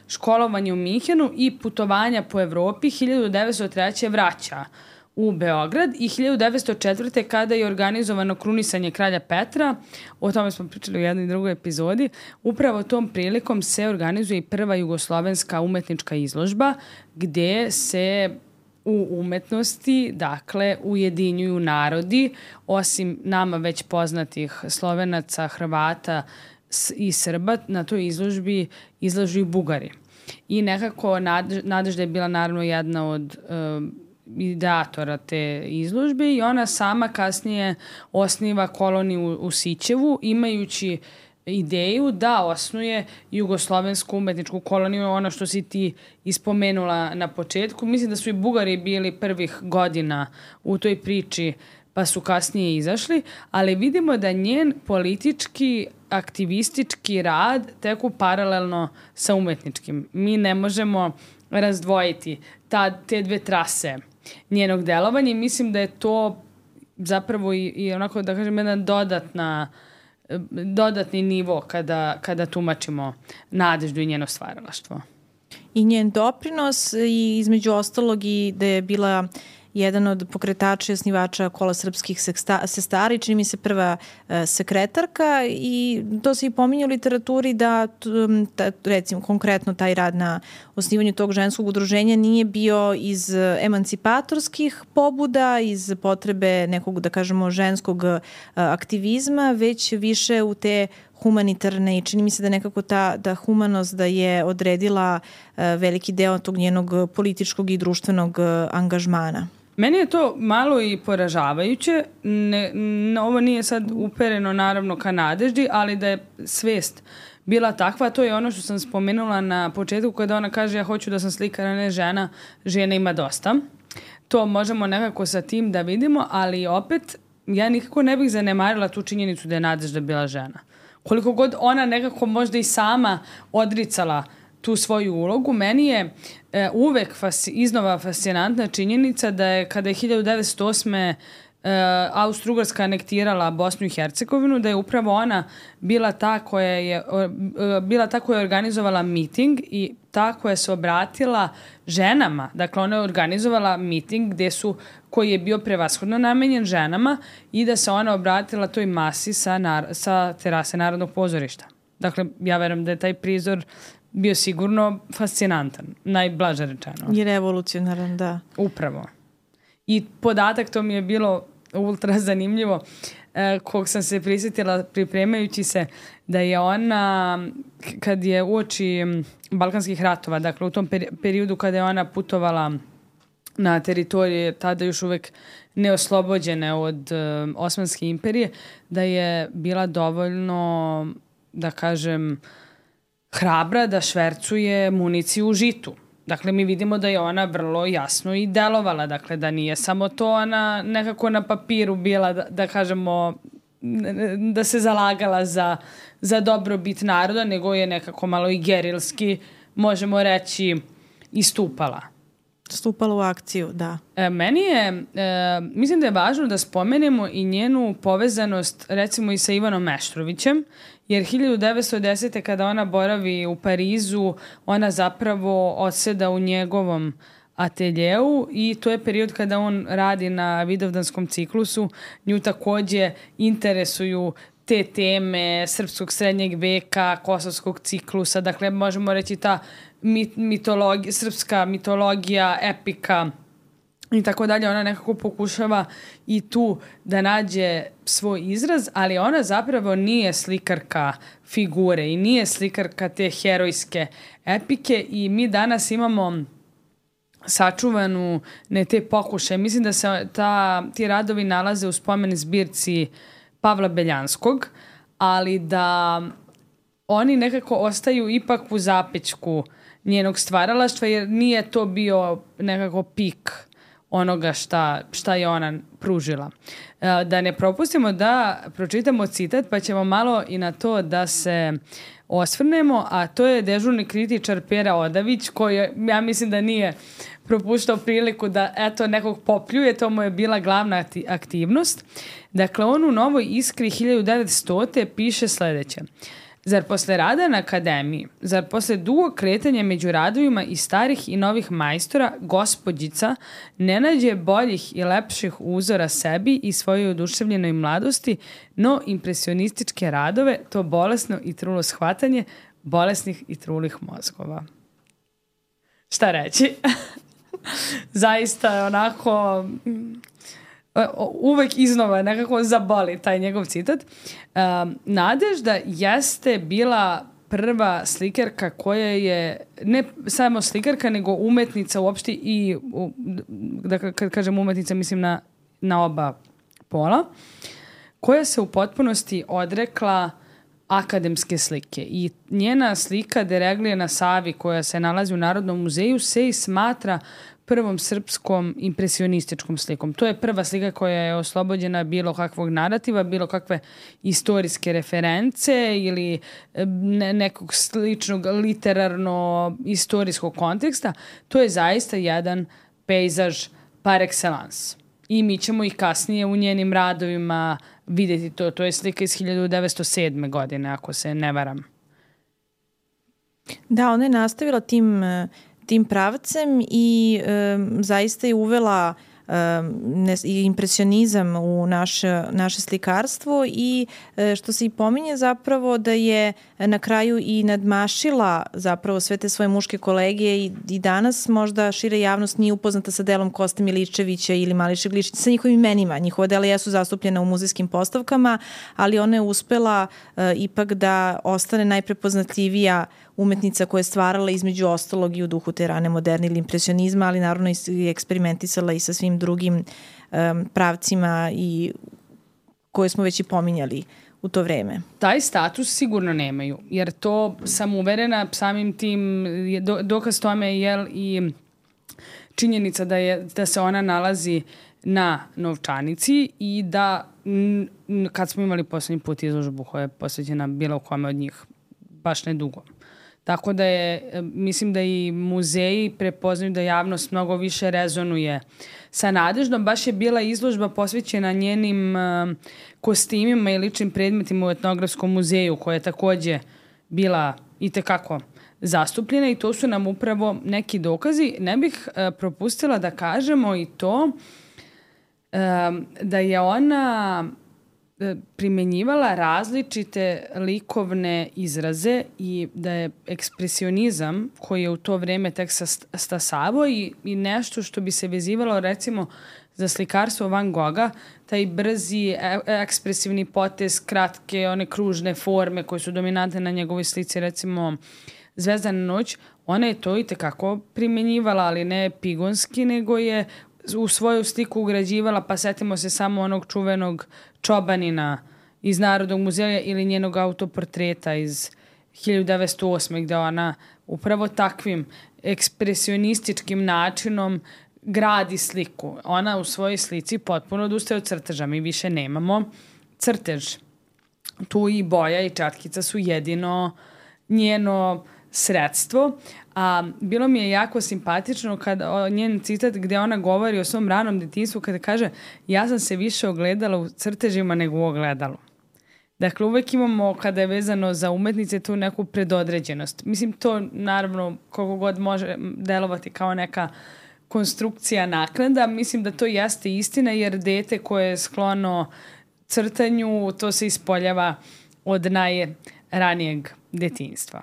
školovanja u Minhenu i putovanja po Evropi hiljadu devetsto treće. vraća u Beograd i hiljadu devetsto četvrte kada je organizovano krunisanje kralja Petra, o tome smo pričali u jednoj i drugoj epizodi, upravo tom prilikom se organizuje i prva jugoslovenska umetnička izložba gde se u umetnosti, dakle, ujedinjuju narodi, osim nama već poznatih Slovenaca, Hrvata i Srba, na toj izložbi izlažu i Bugari. I nekako Nadežda je bila naravno jedna od um, ideatora te izložbe i ona sama kasnije osniva koloniju u, u Sićevu, imajući ideju da osnuje jugoslovensku umetničku koloniju, ono što si ti ispomenula na početku. Mislim da su i Bugari bili prvih godina u toj priči, pa su kasnije izašli, ali vidimo da njen politički, aktivistički rad teku paralelno sa umetničkim. Mi ne možemo razdvojiti ta, te dve trase njenog delovanja i mislim da je to zapravo i, i onako, da kažem, jedna dodatna dodatni nivo kada, kada tumačimo Nadeždu i njeno stvaralaštvo. I njen doprinos i između ostalog i da je bila jedan od pokretača i osnivača Kola srpskih sestara i čini mi se prva e, sekretarka i to se i pominje u literaturi da ta, recimo konkretno taj rad na osnivanju tog ženskog udruženja nije bio iz emancipatorskih pobuda, iz potrebe nekog, da kažemo, ženskog a, aktivizma, već više u te humanitarne i čini mi se da nekako ta da humanost da je odredila a, veliki deo tog njenog političkog i društvenog a, angažmana. Meni je to malo i poražavajuće. Ne, ne, ovo nije sad upereno naravno ka Nadeždi, ali da je svest bila takva, to je ono što sam spomenula na početku kada ona kaže ja hoću da sam slikar, a ne žena, žena ima dosta. To možemo nekako sa tim da vidimo, ali opet ja nikako ne bih zanemarila tu činjenicu da je Nadežda bila žena. Koliko god ona nekako možda i sama odricala tu svoju ulogu, meni je e, uvek fasi, iznova fascinantna činjenica da je kada je hiljadu devetsto osme e, Austro-Ugarska anektirala Bosnu i Hercegovinu, da je upravo ona bila ta koja je, e, bila ta koja je organizovala miting i ta koja se obratila ženama. Dakle, ona je organizovala miting gde su, koji je bio prevashodno namenjen ženama i da se ona obratila toj masi sa, nar, sa terase Narodnog pozorišta. Dakle, ja verujem da je taj prizor bio sigurno fascinantan, najblaže rečeno. I revolucionaran, da. Upravo. I podatak, to mi je bilo ultra zanimljivo, eh, kog sam se prisjetila pripremajući se, da je ona, kad je uoči Balkanskih ratova, dakle u tom periodu kada je ona putovala na teritorije tada još uvek neoslobođene od eh, Osmanske imperije, da je bila dovoljno, da kažem, hrabra da švercuje municiju u žitu. Dakle, mi vidimo da je ona vrlo jasno i delovala, dakle, da nije samo to ona nekako na papiru bila, da, da kažemo, da se zalagala za, za dobrobit naroda, nego je nekako malo i gerilski, možemo reći, istupala. Stupala u akciju, da. E, meni je, e, mislim da je važno da spomenemo i njenu povezanost, recimo i sa Ivanom Meštrovićem, jer hiljadu devetsto desete kada ona boravi u Parizu, ona zapravo odseda u njegovom ateljeu i to je period kada on radi na Vidovdanskom ciklusu. Nju takođe interesuju te teme srpskog srednjeg veka, kosovskog ciklusa, dakle možemo reći ta mit, mitologija, srpska mitologija, epika i tako dalje. Ona nekako pokušava i tu da nađe svoj izraz, ali ona zapravo nije slikarka figure i nije slikarka te herojske epike i mi danas imamo sačuvanu ne te pokušaje. Mislim da se ta, ti radovi nalaze u spomen zbirci Pavla Beljanskog, ali da oni nekako ostaju ipak u zapećku njenog stvaralaštva, jer nije to bio nekako pik onoga šta, šta je ona pružila. Da ne propustimo da pročitamo citat, pa ćemo malo i na to da se osvrnemo, a to je dežurni kritičar Pera Odavić, koji ja mislim da nije propuštao priliku da eto nekog popljuje, to mu je bila glavna aktivnost. Dakle, on u Novoj Iskri hiljadu devetsto piše sledeće. Zar posle rada na akademiji, zar posle dugog kretanja među radovima i starih i novih majstora, gospođica ne nađe boljih i lepših uzora sebi i svojoj oduševljenoj mladosti, no impresionističke radove, to bolesno i trulo shvatanje bolesnih i trulih mozgova. Šta reći? Zaista je onako... uvek iznova nekako zaboli taj njegov citat. Um, Nadežda jeste bila prva slikarka koja je, ne samo slikarka, nego umetnica uopšte i, da kad kažem umetnica, mislim na, na oba pola, koja se u potpunosti odrekla akademske slike. I njena slika Dereglije na Savi, koja se nalazi u Narodnom muzeju, se i smatra prvom srpskom impresionističkom slikom. To je prva slika koja je oslobođena bilo kakvog narativa, bilo kakve istorijske reference ili ne, nekog sličnog literarno-istorijskog konteksta. To je zaista jedan pejzaž par excellence. I mi ćemo i kasnije u njenim radovima vidjeti to. To je slika iz hiljadu devetsto sedme. godine, ako se ne varam. Da, ona je nastavila tim... tim pravcem i um, zaista je uvela um, ne, impresionizam u naše, naše slikarstvo i e, što se i pominje zapravo da je na kraju i nadmašila zapravo sve te svoje muške kolege i, i danas možda šira javnost nije upoznata sa delom Koste Miličevića ili Mališe Glišića, sa njihovim imenima. Njihova dela jesu zastupljena u muzejskim postavkama, ali ona je uspela e, ipak da ostane najprepoznatljivija umetnica koja je stvarala između ostalog i u duhu te rane moderne ili impresionizma, ali naravno i eksperimentisala i sa svim drugim um, pravcima i koje smo već i pominjali u to vreme. Taj status sigurno nemaju, jer to sam uverena samim tim, do, dokaz tome je i činjenica da, je, da se ona nalazi na novčanici i da n, kad smo imali poslednji put izložbu koja je posvećena bilo kome od njih, baš nedugo. Tako da je, mislim da i muzeji prepoznaju da javnost mnogo više rezonuje sa Nadeždom. Baš je bila izložba posvećena njenim uh, kostimima i ličnim predmetima u etnografskom muzeju, koja je takođe bila itekako zastupljena i to su nam upravo neki dokazi. Ne bih uh, propustila da kažemo i to uh, da je ona primenjivala različite likovne izraze i da je ekspresionizam koji je u to vreme tek stasavao i, i nešto što bi se vezivalo recimo za slikarstvo Van Gogha, taj brzi e, ekspresivni potez, kratke, one kružne forme koje su dominantne na njegovoj slici, recimo Zvezdana noć, ona je to i tekako primenjivala, ali ne pigonski, nego je u svoju sliku ugrađivala, pa setimo se samo onog čuvenog Čobanina iz Narodnog muzeja ili njenog autoportreta iz hiljadu devetsto osme. gde ona upravo takvim ekspresionističkim načinom gradi sliku. Ona u svojoj slici potpuno odustaje od crteža. Mi više nemamo crtež. Tu i boja i čatkica su jedino njeno sredstvo. A bilo mi je jako simpatično kada njen citat gde ona govori o svom ranom detinjstvu kada kaže ja sam se više ogledala u crtežima nego u ogledalu. Dakle, uvek imamo kada je vezano za umetnice tu neku predodređenost. Mislim, to naravno koliko god može delovati kao neka konstrukcija naknada. Mislim da to jeste istina jer dete koje je sklono crtanju, to se ispoljava od najranijeg detinjstva.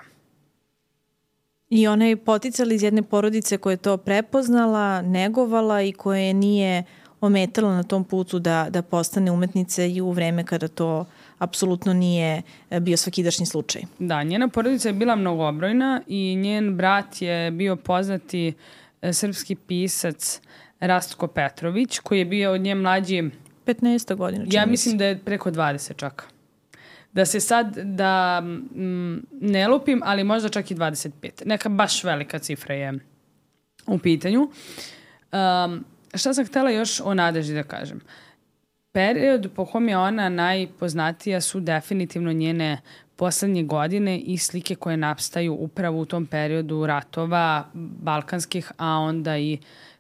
I ona je poticala iz jedne porodice koja je to prepoznala, negovala i koja je nije ometala na tom putu da, da postane umetnica i u vreme kada to apsolutno nije bio svakidašnji slučaj. Da, njena porodica je bila mnogobrojna i njen brat je bio poznati srpski pisac Rastko Petrović, koji je bio od nje mlađi petnaest godina. Ja mislim da je preko dvadeset čak. Da se sad, da m, ne lupim, ali možda čak i dvadeset pet. Neka baš velika cifra je u pitanju. Um, šta sam htela još o Nadeždi da kažem? Period po kom je ona najpoznatija su definitivno njene poslednje godine i slike koje nastaju upravo u tom periodu ratova balkanskih, a onda i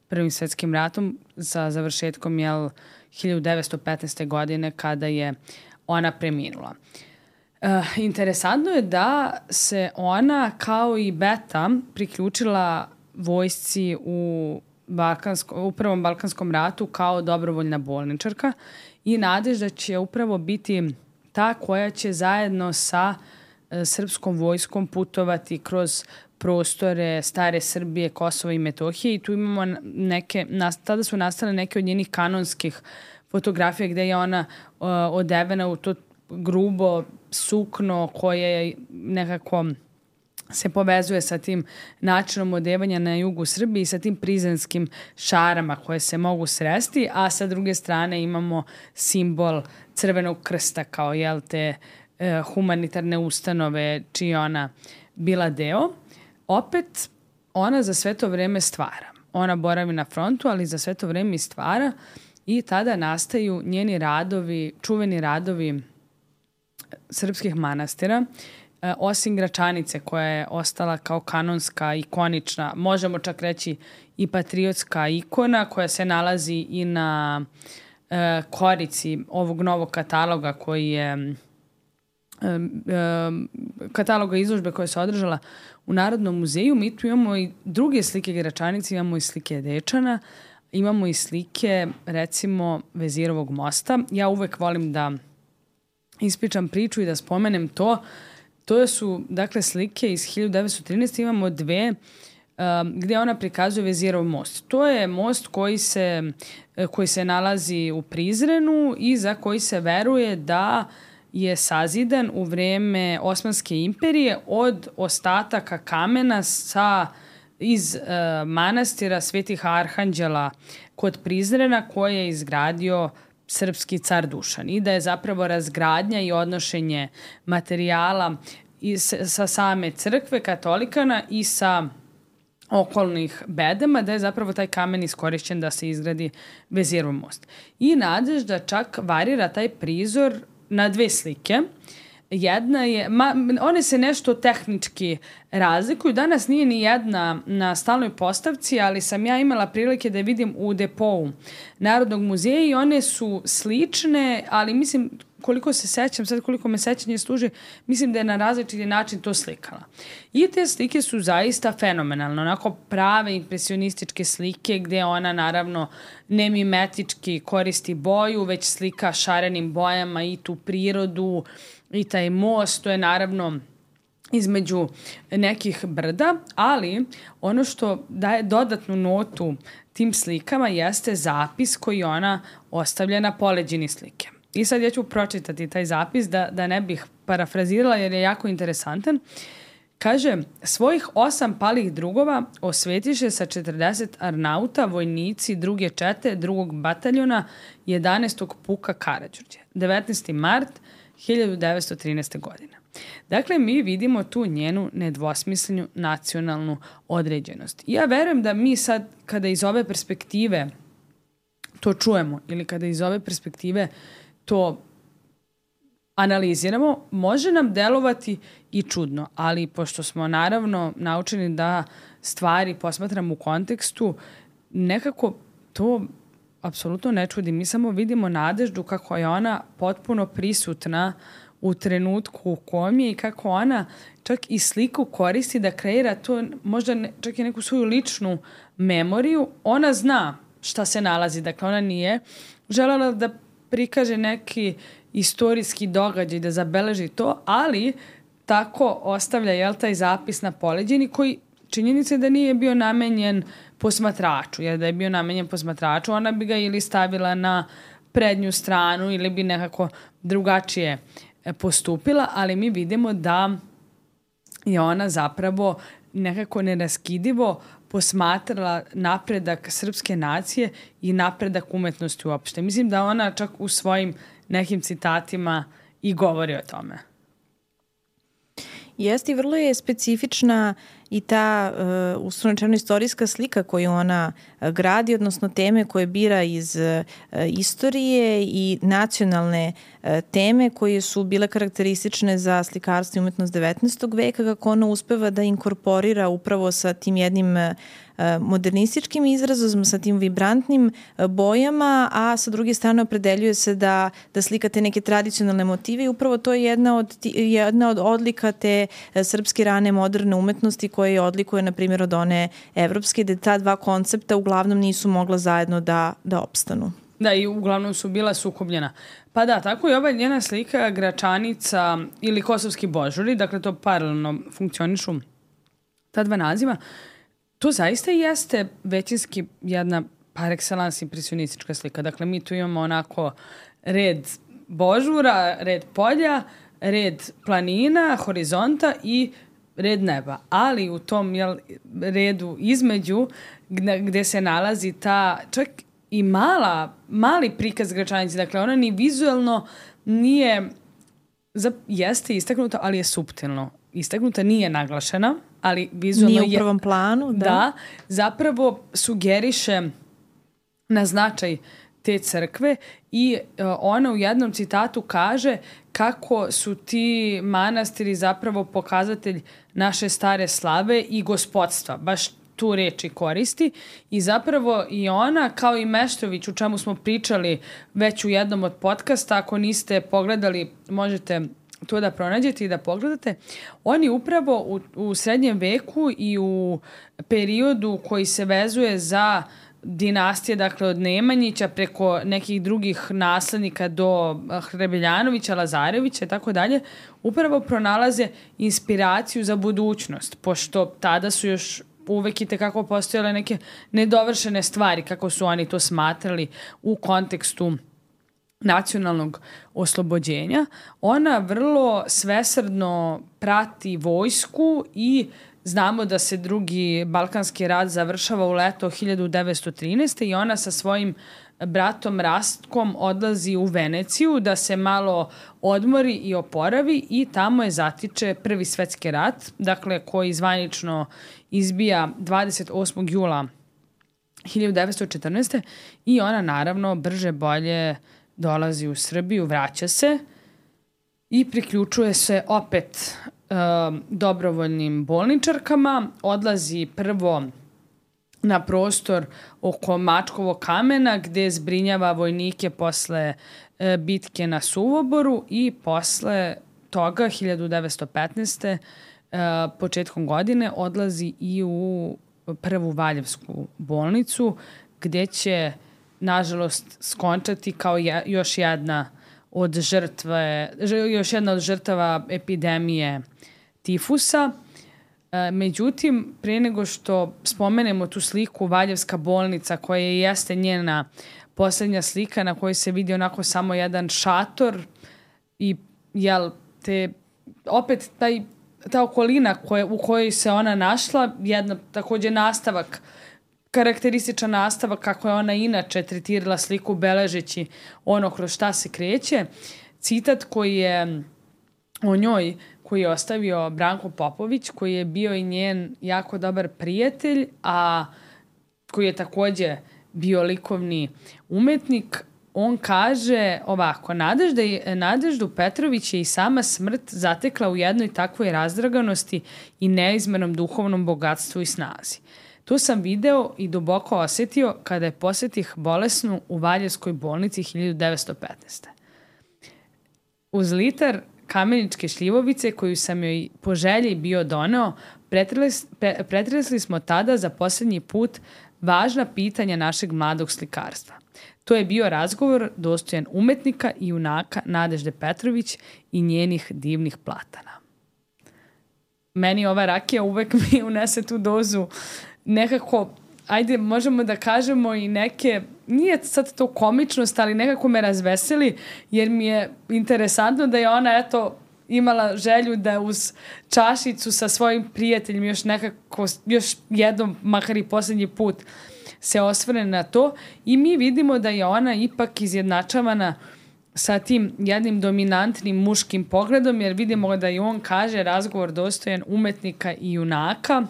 Prvim svetskim ratom sa završetkom jel, hiljadu devetsto petnaeste. godine kada je ona preminula. Uh, interesantno je da se ona kao i Beta priključila vojsci u, Balkansko, u Prvom Balkanskom ratu kao dobrovoljna bolničarka i Nadežda će upravo biti ta koja će zajedno sa uh, srpskom vojskom putovati kroz prostore stare Srbije, Kosova i Metohije i tu imamo neke, tada su nastale neke od njenih kanonskih fotografija gde je ona uh, odevena u to grubo sukno koje nekako se povezuje sa tim načinom odevanja na jugu Srbije i sa tim prizrenskim šarama koje se mogu sresti, a sa druge strane imamo simbol Crvenog krsta kao jel, te eh, humanitarne ustanove čiji ona bila deo. Opet, ona za sve to vreme stvara. Ona boravi na frontu, ali za sve to vreme i stvara i tada nastaju njeni radovi, čuveni radovi srpskih manastira, e, osim Gračanice koja je ostala kao kanonska, ikonična, možemo čak reći i patriotska ikona koja se nalazi i na e, korici ovog novog kataloga koji je e, e, kataloga izložbe koja se održala u Narodnom muzeju. Mi tu imamo i druge slike Gračanice, imamo i slike Dečana, imamo i slike recimo Vezirovog mosta. Ja uvek volim da ispričam priču i da spomenem to. To su, dakle, slike iz hiljadu devetsto trinaeste. Imamo dve um, gde ona prikazuje Vezirov most. To je most koji se, koji se nalazi u Prizrenu i za koji se veruje da je sazidan u vreme Osmanske imperije od ostataka kamena sa, iz uh, manastira Svetih Arhanđela kod Prizrena koje je izgradio srpski car Dušan i da je zapravo razgradnja i odnošenje materijala i sa same crkve katolikana i sa okolnih bedema, da je zapravo taj kamen iskorišćen da se izgradi Vezirov most. I Nadežda čak varira taj prizor na dve slike. Jedna je, ma, one se nešto tehnički razlikuju. Danas nije ni jedna na stalnoj postavci, ali sam ja imala prilike da je vidim u depou Narodnog muzeja i one su slične, ali mislim, koliko se sećam, sad koliko me sećanje služi, mislim da je na različiti način to slikala. I te slike su zaista fenomenalne, onako prave impresionističke slike gde ona naravno ne mimetički koristi boju, već slika šarenim bojama i tu prirodu, i taj most, to je naravno između nekih brda, ali ono što daje dodatnu notu tim slikama jeste zapis koji ona ostavlja na poleđini slike. I sad ja ću pročitati taj zapis da, da ne bih parafrazirala jer je jako interesantan. Kaže, svojih osam palih drugova osvetiše sa četrdeset arnauta, vojnici druge čete, drugog bataljona, jedanaestog puka Karađorđe. devetnaesti mart hiljadu devetsto trinaeste. godine. Dakle, mi vidimo tu njenu nedvosmislenu nacionalnu određenost. Ja verujem da mi sad, kada iz ove perspektive to čujemo ili kada iz ove perspektive to analiziramo, može nam delovati i čudno, ali pošto smo naravno naučeni da stvari posmatramo u kontekstu, nekako to apsolutno ne čudi. Mi samo vidimo Nadeždu kako je ona potpuno prisutna u trenutku u kom je i kako ona čak i sliku koristi da kreira to, možda ne, čak i neku svoju ličnu memoriju. Ona zna šta se nalazi, dakle ona nije želela da prikaže neki istorijski događaj, da zabeleži to, ali tako ostavlja jel, taj zapis na poleđini koji činjenica je da nije bio namenjen posmatraču, jer da je bio namenjen posmatraču, ona bi ga ili stavila na prednju stranu ili bi nekako drugačije postupila, ali mi vidimo da je ona zapravo nekako neraskidivo posmatrala napredak srpske nacije i napredak umetnosti uopšte. Mislim da ona čak u svojim nekim citatima i govori o tome. Jeste i vrlo je specifična i ta uh, uslovno istorijska slika koju ona uh, gradi, odnosno teme koje bira iz uh, istorije i nacionalne uh, teme koje su bile karakteristične za slikarstvo i umetnost devetnaestog veka, kako ona uspeva da inkorporira upravo sa tim jednim uh, modernističkim izrazom, sa tim vibrantnim bojama, a sa druge strane opredeljuje se da, da slika te neke tradicionalne motive i upravo to je jedna od, jedna od odlika te srpske rane moderne umetnosti koje odlikuje, na primjer, od one evropske, da ta dva koncepta uglavnom nisu mogla zajedno da, da opstanu. Da, i uglavnom su bila sukobljena. Pa da, tako je ova njena slika Gračanica ili Kosovski božuri, dakle to paralelno funkcionišu ta dva naziva. To zaista jeste većinski jedna par excellence impresionistička slika. Dakle, mi tu imamo onako red božura, red polja, red planina, horizonta i red neba. Ali u tom jel, redu između gde, gde se nalazi ta čak i mala, mali prikaz Gračanice. Dakle, ona ni vizualno nije, jeste istaknuta, ali je suptilno istaknuta, nije naglašena, ali vizualno je... Nije u prvom planu, da. Da, zapravo sugeriše na značaj te crkve i ona u jednom citatu kaže kako su ti manastiri zapravo pokazatelj naše stare slave i gospodstva, baš tu reči koristi i zapravo i ona kao i Meštrović, u čemu smo pričali već u jednom od podcasta, ako niste pogledali možete to da pronađete i da pogledate, oni upravo u, u srednjem veku i u periodu koji se vezuje za dinastije, dakle od Nemanjića preko nekih drugih naslednika do Hrebeljanovića, Lazarevića i tako dalje, upravo pronalaze inspiraciju za budućnost, pošto tada su još uvek i tekako postojale neke nedovršene stvari, kako su oni to smatrali u kontekstu nacionalnog oslobođenja. Ona vrlo svesrdno prati vojsku i znamo da se drugi Balkanski rat završava u leto hiljadu devetsto trinaeste. i ona sa svojim bratom Rastkom odlazi u Veneciju da se malo odmori i oporavi i tamo je zatiče Prvi svetski rat, dakle koji zvanično izbija dvadeset osmog jula hiljadu devetsto četrnaeste. i ona naravno brže bolje dolazi u Srbiju, vraća se i priključuje se opet e, dobrovoljnim bolničarkama, odlazi prvo na prostor oko Mačkovog kamena gde zbrinjava vojnike posle e, bitke na Suvoboru i posle toga hiljadu devetsto petnaeste. E, početkom godine odlazi i u prvu Valjevsku bolnicu gde će nažalost skončati kao je, još jedna od žrtve, još jedna od žrtava epidemije tifusa. E, međutim, prije nego što spomenemo tu sliku Valjevska bolnica koja jeste njena posljednja slika na kojoj se vidi onako samo jedan šator i jel, te, opet taj, ta okolina koje, u kojoj se ona našla, jedna također nastavak karakterističan nastavak kako je ona inače tretirala sliku beležeći ono kroz šta se kreće. Citat koji je o njoj, koji je ostavio Branko Popović, koji je bio i njen jako dobar prijatelj, a koji je također bio likovni umetnik. On kaže ovako: Nadežda je, Nadeždu Petrović je i sama smrt zatekla u jednoj takvoj razdraganosti i neizmernom duhovnom bogatstvu i snazi. Tu sam video i duboko osjetio kada je posjetih bolesnu u Valjevskoj bolnici hiljadu devetsto petnaeste. Uz litar kameničke šljivovice koju sam joj po želji bio doneo, pretresli smo tada za posljednji put važna pitanja našeg mladog slikarstva. To je bio razgovor dostojan umetnika i junaka Nadežde Petrović i njenih divnih platana. Meni ova rakija uvek mi unese tu dozu nekako, ajde, možemo da kažemo i neke, nije sad to komičnost, ali nekako me razveseli, jer mi je interesantno da je ona, eto, imala želju da uz čašicu sa svojim prijateljima još nekako, još jednom, makar i posljednji put, se osvrne na to i mi vidimo da je ona ipak izjednačavana sa tim jednim dominantnim muškim pogledom, jer vidimo da i on kaže razgovor dostojan umetnika i junaka.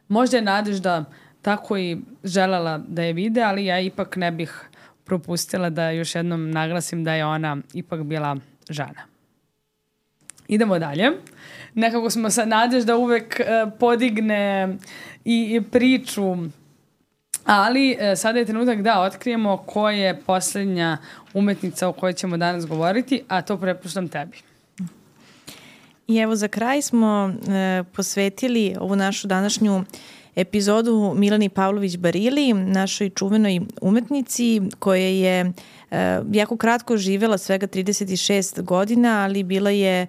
Možda je Nadežda tako i željela da je vide, ali ja ipak ne bih propustila da još jednom naglasim da je ona ipak bila žena. Idemo dalje. Nekako smo sa Nadežda uvek uh, podigne i, i priču, ali uh, sada je trenutak da otkrijemo ko je posljednja umetnica o kojoj ćemo danas govoriti, a to prepuštam tebi. I evo za kraj smo e, posvetili ovu našu današnju epizodu Milani Pavlović Barili, našoj čuvenoj umetnici koja je e, jako kratko živela, svega trideset šest godina, ali bila je e,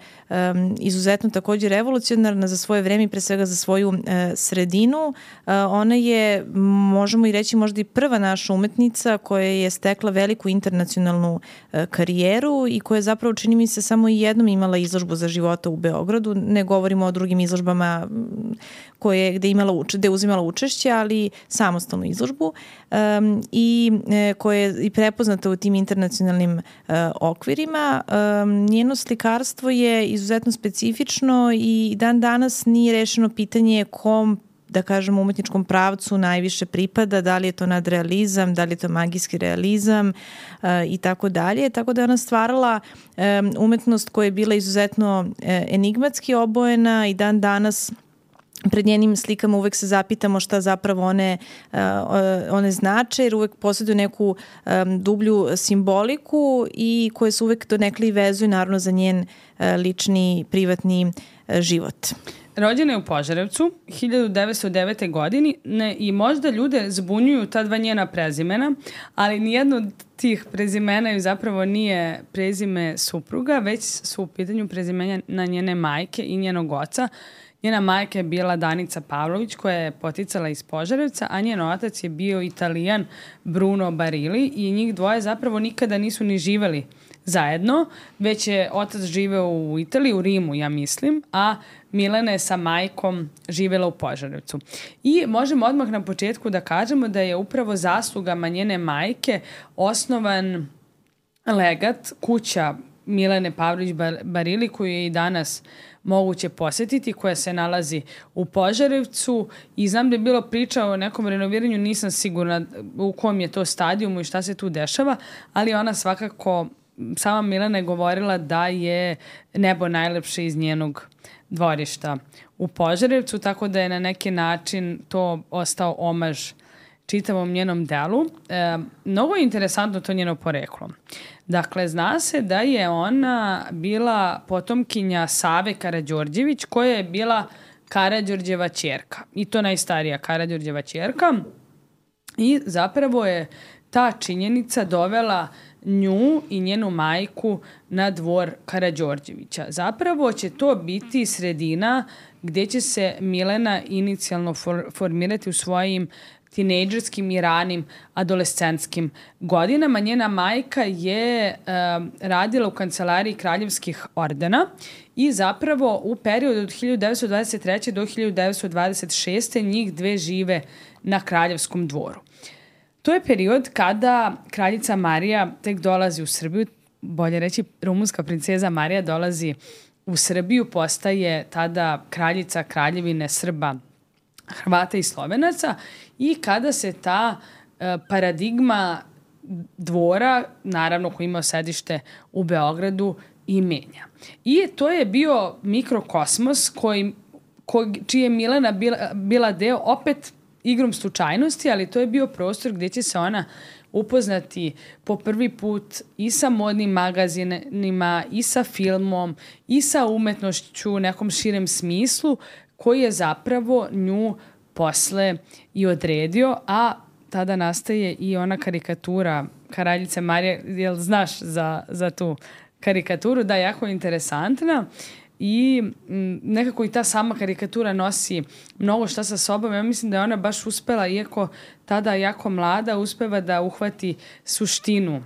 izuzetno također revolucionarna za svoje vreme i pre svega za svoju e, sredinu. E, ona je, možemo i reći, možda i prva naša umetnica koja je stekla veliku internacionalnu e, karijeru i koja je zapravo, čini mi se, samo i jednom imala izložbu za života u Beogradu. Ne govorimo o drugim izložbama koje, gde, imala, gde je uzimala učešće, ali samostalnu izložbu um, i e, koja je i prepoznata u tim internacionalnim uh, okvirima. Um, njeno slikarstvo je izuzetno specifično i dan danas nije rešeno pitanje kom, da kažemo, umetničkom pravcu najviše pripada, da li je to nadrealizam, da li je to magijski realizam uh, i tako dalje. Tako da je ona stvarala um, umetnost koja je bila izuzetno uh, enigmatski obojena i dan danas pred njenim slikama uvek se zapitamo šta zapravo one, uh, one znače, jer uvek posjeduju neku um, dublju simboliku i koje se uvek donekle i vezuju naravno za njen uh, lični, privatni uh, život. Rođena je u Požarevcu hiljadu devetsto devete. godini ne, i možda ljude zbunjuju ta dva njena prezimena, ali nijedno od tih prezimena ju zapravo nije prezime supruga, već su u pitanju prezimenja na njene majke i njenog oca. Njena majka je bila Danica Pavlović koja je poticala iz Požarevca, a njen otac je bio Italijan Bruno Barili i njih dvoje zapravo nikada nisu ni živeli zajedno, već je otac živeo u Italiji, u Rimu, ja mislim, a Milena je sa majkom živela u Požarevcu. I možemo odmah na početku da kažemo da je upravo zaslugama njene majke osnovan legat, kuća Milene Pavlović Barili, koju je i danas moguće posjetiti, koja se nalazi u Požarevcu i znam da je bilo priča o nekom renoviranju, nisam sigurna u kom je to stadijumu i šta se tu dešava, ali ona svakako, sama Milena je govorila da je nebo najlepše iz njenog dvorišta u Požarevcu, tako da je na neki način to ostao omaž čitavom njenom delu. E, mnogo je interesantno to njeno poreklo. Dakle, zna se da je ona bila potomkinja Save Karađorđević, koja je bila Karađorđeva ćerka. I to najstarija Karađorđeva ćerka. I zapravo je ta činjenica dovela nju i njenu majku na dvor Karađorđevića. Zapravo će to biti sredina gdje će se Milena inicijalno for, formirati u svojim tinejdžerskim i ranim adolescentskim godinama. Njena majka je um, radila u kancelariji kraljevskih ordena i zapravo u periodu od hiljadu devetsto dvadeset treće. do hiljadu devetsto dvadeset šeste. njih dve žive na kraljevskom dvoru. To je period kada kraljica Marija tek dolazi u Srbiju, bolje reći rumunska princeza Marija dolazi u Srbiju, postaje tada kraljica kraljevine Srba, Hrvata i Slovenaca i kada se ta e, paradigma dvora, naravno koji ima sedište u Beogradu, i menja. I to je bio mikrokosmos koji, koji, čiji je Milena bila, bila deo, opet igrom slučajnosti, ali to je bio prostor gdje će se ona upoznati po prvi put i sa modnim magazinima, i sa filmom, i sa umetnošću u nekom širem smislu, koji je zapravo nju posle i odredio, a tada nastaje i ona karikatura kraljice Marije. Jel znaš za, za tu karikaturu? Da, jako interesantna i m, nekako i ta sama karikatura nosi mnogo šta sa sobom. Ja mislim da je ona baš uspela, iako tada jako mlada, uspeva da uhvati suštinu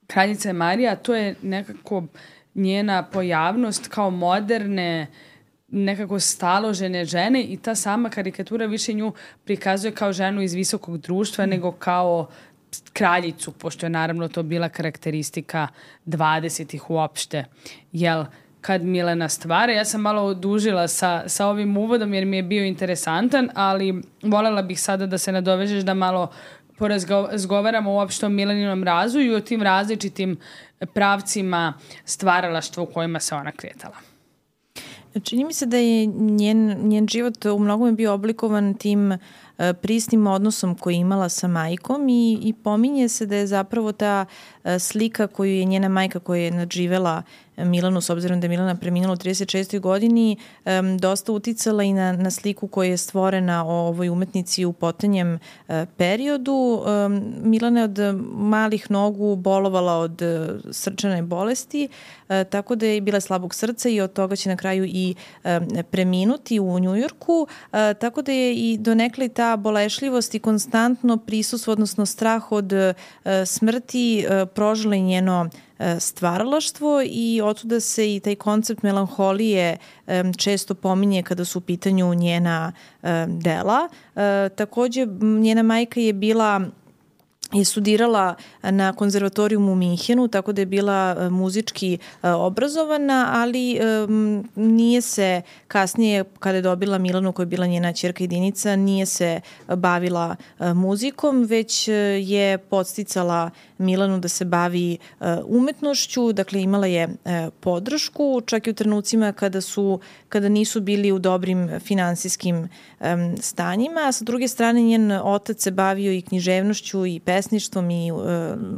kraljice Marije, a to je nekako njena pojavnost kao moderne, nekako staložene žene i ta sama karikatura više nju prikazuje kao ženu iz visokog društva mm. nego kao kraljicu, pošto je naravno to bila karakteristika dvadesetih uopšte. Jel, kad Milena stvara, ja sam malo odužila sa, sa ovim uvodom jer mi je bio interesantan, ali voljela bih sada da se nadovežeš da malo porazgovaramo uopšte o mileninom razvoju i o tim različitim pravcima stvaralaštva u kojima se ona kretala. Čini mi se da je njen, njen život u mnogome bio oblikovan tim prisnim odnosom koji je imala sa majkom i, i pominje se da je zapravo ta slika koju je njena majka koja je nadživela Milanu, s obzirom da je Milana preminula u trideset šestoj godini, um, dosta uticala i na, na sliku koja je stvorena o ovoj umetnici u potanjem uh, periodu. Um, Milana je od malih nogu bolovala od uh, srčane bolesti, uh, tako da je bila slabog srca i od toga će na kraju i um, preminuti u Njujorku, uh, tako da je i donekle ta bolešljivost i konstantno prisustvo, odnosno strah od uh, smrti uh, prožila i njeno stvaralaštvo i otuda se i taj koncept melanholije um, često pominje kada su u pitanju njena um, dela. Uh, takođe, njena majka je bila je studirala na konzervatorijumu u Minhenu, tako da je bila muzički obrazovana, ali um, nije se kasnije, kada je dobila Milanu koja je bila njena ćerka jedinica, nije se bavila uh, muzikom, već je podsticala Milanu da se bavi uh, umetnošću, dakle imala je uh, podršku, čak i u trenucima kada su, kada nisu bili u dobrim finansijskim um, stanjima, a sa druge strane njen otac se bavio i književnošću i pesništvom i uh,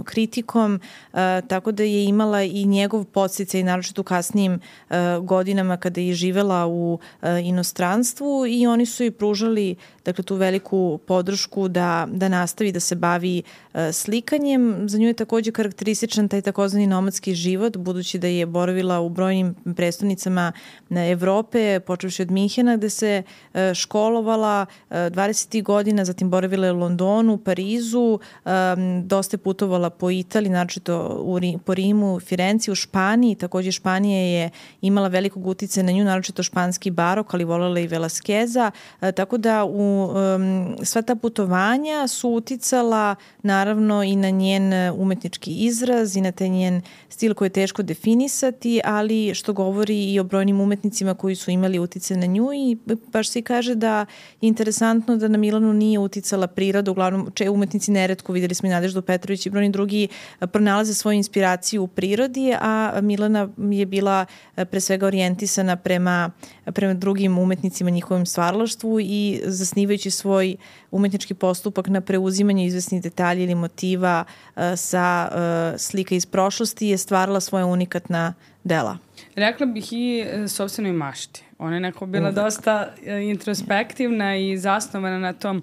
kritikom, uh, tako da je imala i njegov podsticaj, naročito u kasnijim uh, godinama kada je živela u uh, inostranstvu i oni su joj pružali dakle, tu veliku podršku da, da nastavi da se bavi uh, slikanjem. Za nju je takođe karakterističan taj takozvani nomadski život, budući da je boravila u brojnim prestonicama Evrope, počevši od Minhena, gde se uh, školovala uh, dvadesetih godina, zatim boravila je u Londonu, Parizu, um, dosta je putovala po Italiji, naročito u, po Rimu, Firenci, u Španiji. Takođe Španija je imala velikog uticaja na nju, naročito španski barok, ali volela i Velasqueza, uh, tako da u um, sva ta putovanja su uticala naravno i na njen umetnički izraz i na taj njen stil koji je teško definisati, ali što govori i o brojnim umetnicima koji su imali uticaj na nju i baš se kaže da je interesantno da na Milanu nije uticala priroda, uglavnom če umetnici neretko, videli smo i Nadeždu Petrović i brojni drugi pronalaze svoju inspiraciju u prirodi, a Milana je bila pre svega orijentisana prema, prema drugim umetnicima, njihovom stvaralaštvu i zasnivajući svoj umetnički postupak na preuzimanje izvesnih detalja ili motiva uh, sa uh, slika iz prošlosti je stvarala svoja unikatna dela. Rekla bih i sopstvenoj mašti. Ona je neko bila Uvek. dosta introspektivna i zasnovana na tom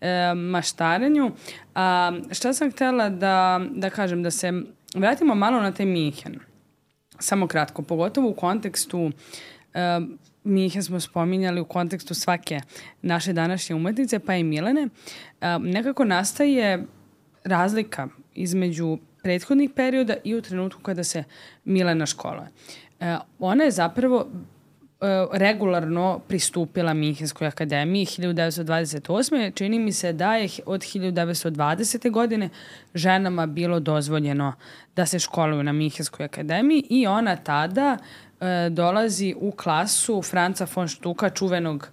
e, maštarenju. A, šta sam htela da, da kažem, da se vratimo malo na taj Minhen. Samo kratko, pogotovo u kontekstu e, Minhen smo spominjali u kontekstu svake naše današnje umetnice, pa i Milane. E, nekako nastaje razlika između prethodnih perioda i u trenutku kada se Milana školuje. E, ona je zapravo e, regularno pristupila Minhenskoj akademiji hiljadu devetsto dvadeset osme. Čini mi se da je od hiljadu devetsto dvadesete. godine ženama bilo dozvoljeno da se školuju na Minhenskoj akademiji i ona tada e, dolazi u klasu Franca von Stucka, čuvenog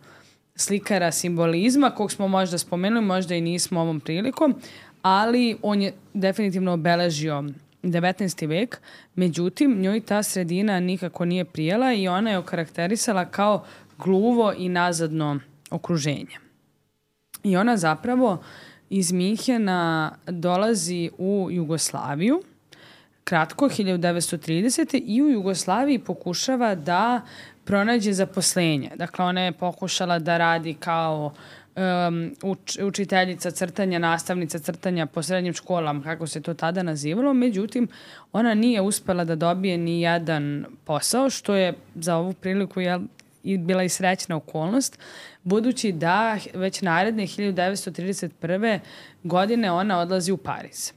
slikara simbolizma, kog smo možda spomenuli, možda i nismo ovom prilikom, ali on je definitivno obeležio devetnaesti vek, međutim njoj ta sredina nikako nije prijela i ona je okarakterisala kao gluvo i nazadno okruženje. I ona zapravo iz Minhena dolazi u Jugoslaviju, kratko, hiljadu devetsto tridesete. i u Jugoslaviji pokušava da pronađe zaposlenje. Dakle, ona je pokušala da radi kao Um, uč, učiteljica crtanja, nastavnica crtanja po srednjim školama, kako se to tada nazivalo, međutim, ona nije uspela da dobije ni jedan posao, što je za ovu priliku jel, i bila i srećna okolnost, budući da već naredne hiljadu devetsto trideset prve. godine ona odlazi u Pariz.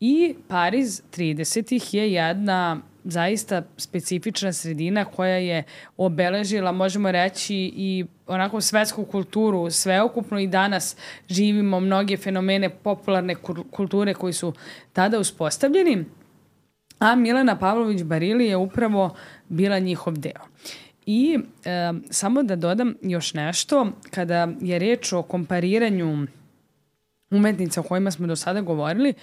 I Pariz tridesetih je jedna zaista specifična sredina koja je obeležila, možemo reći, i onako svetsku kulturu sveokupno i danas živimo mnoge fenomene popularne kulture koji su tada uspostavljeni, a Milana Pavlović Barili je upravo bila njihov deo. I e, samo da dodam još nešto, kada je reč o kompariranju umetnica o kojima smo do sada govorili,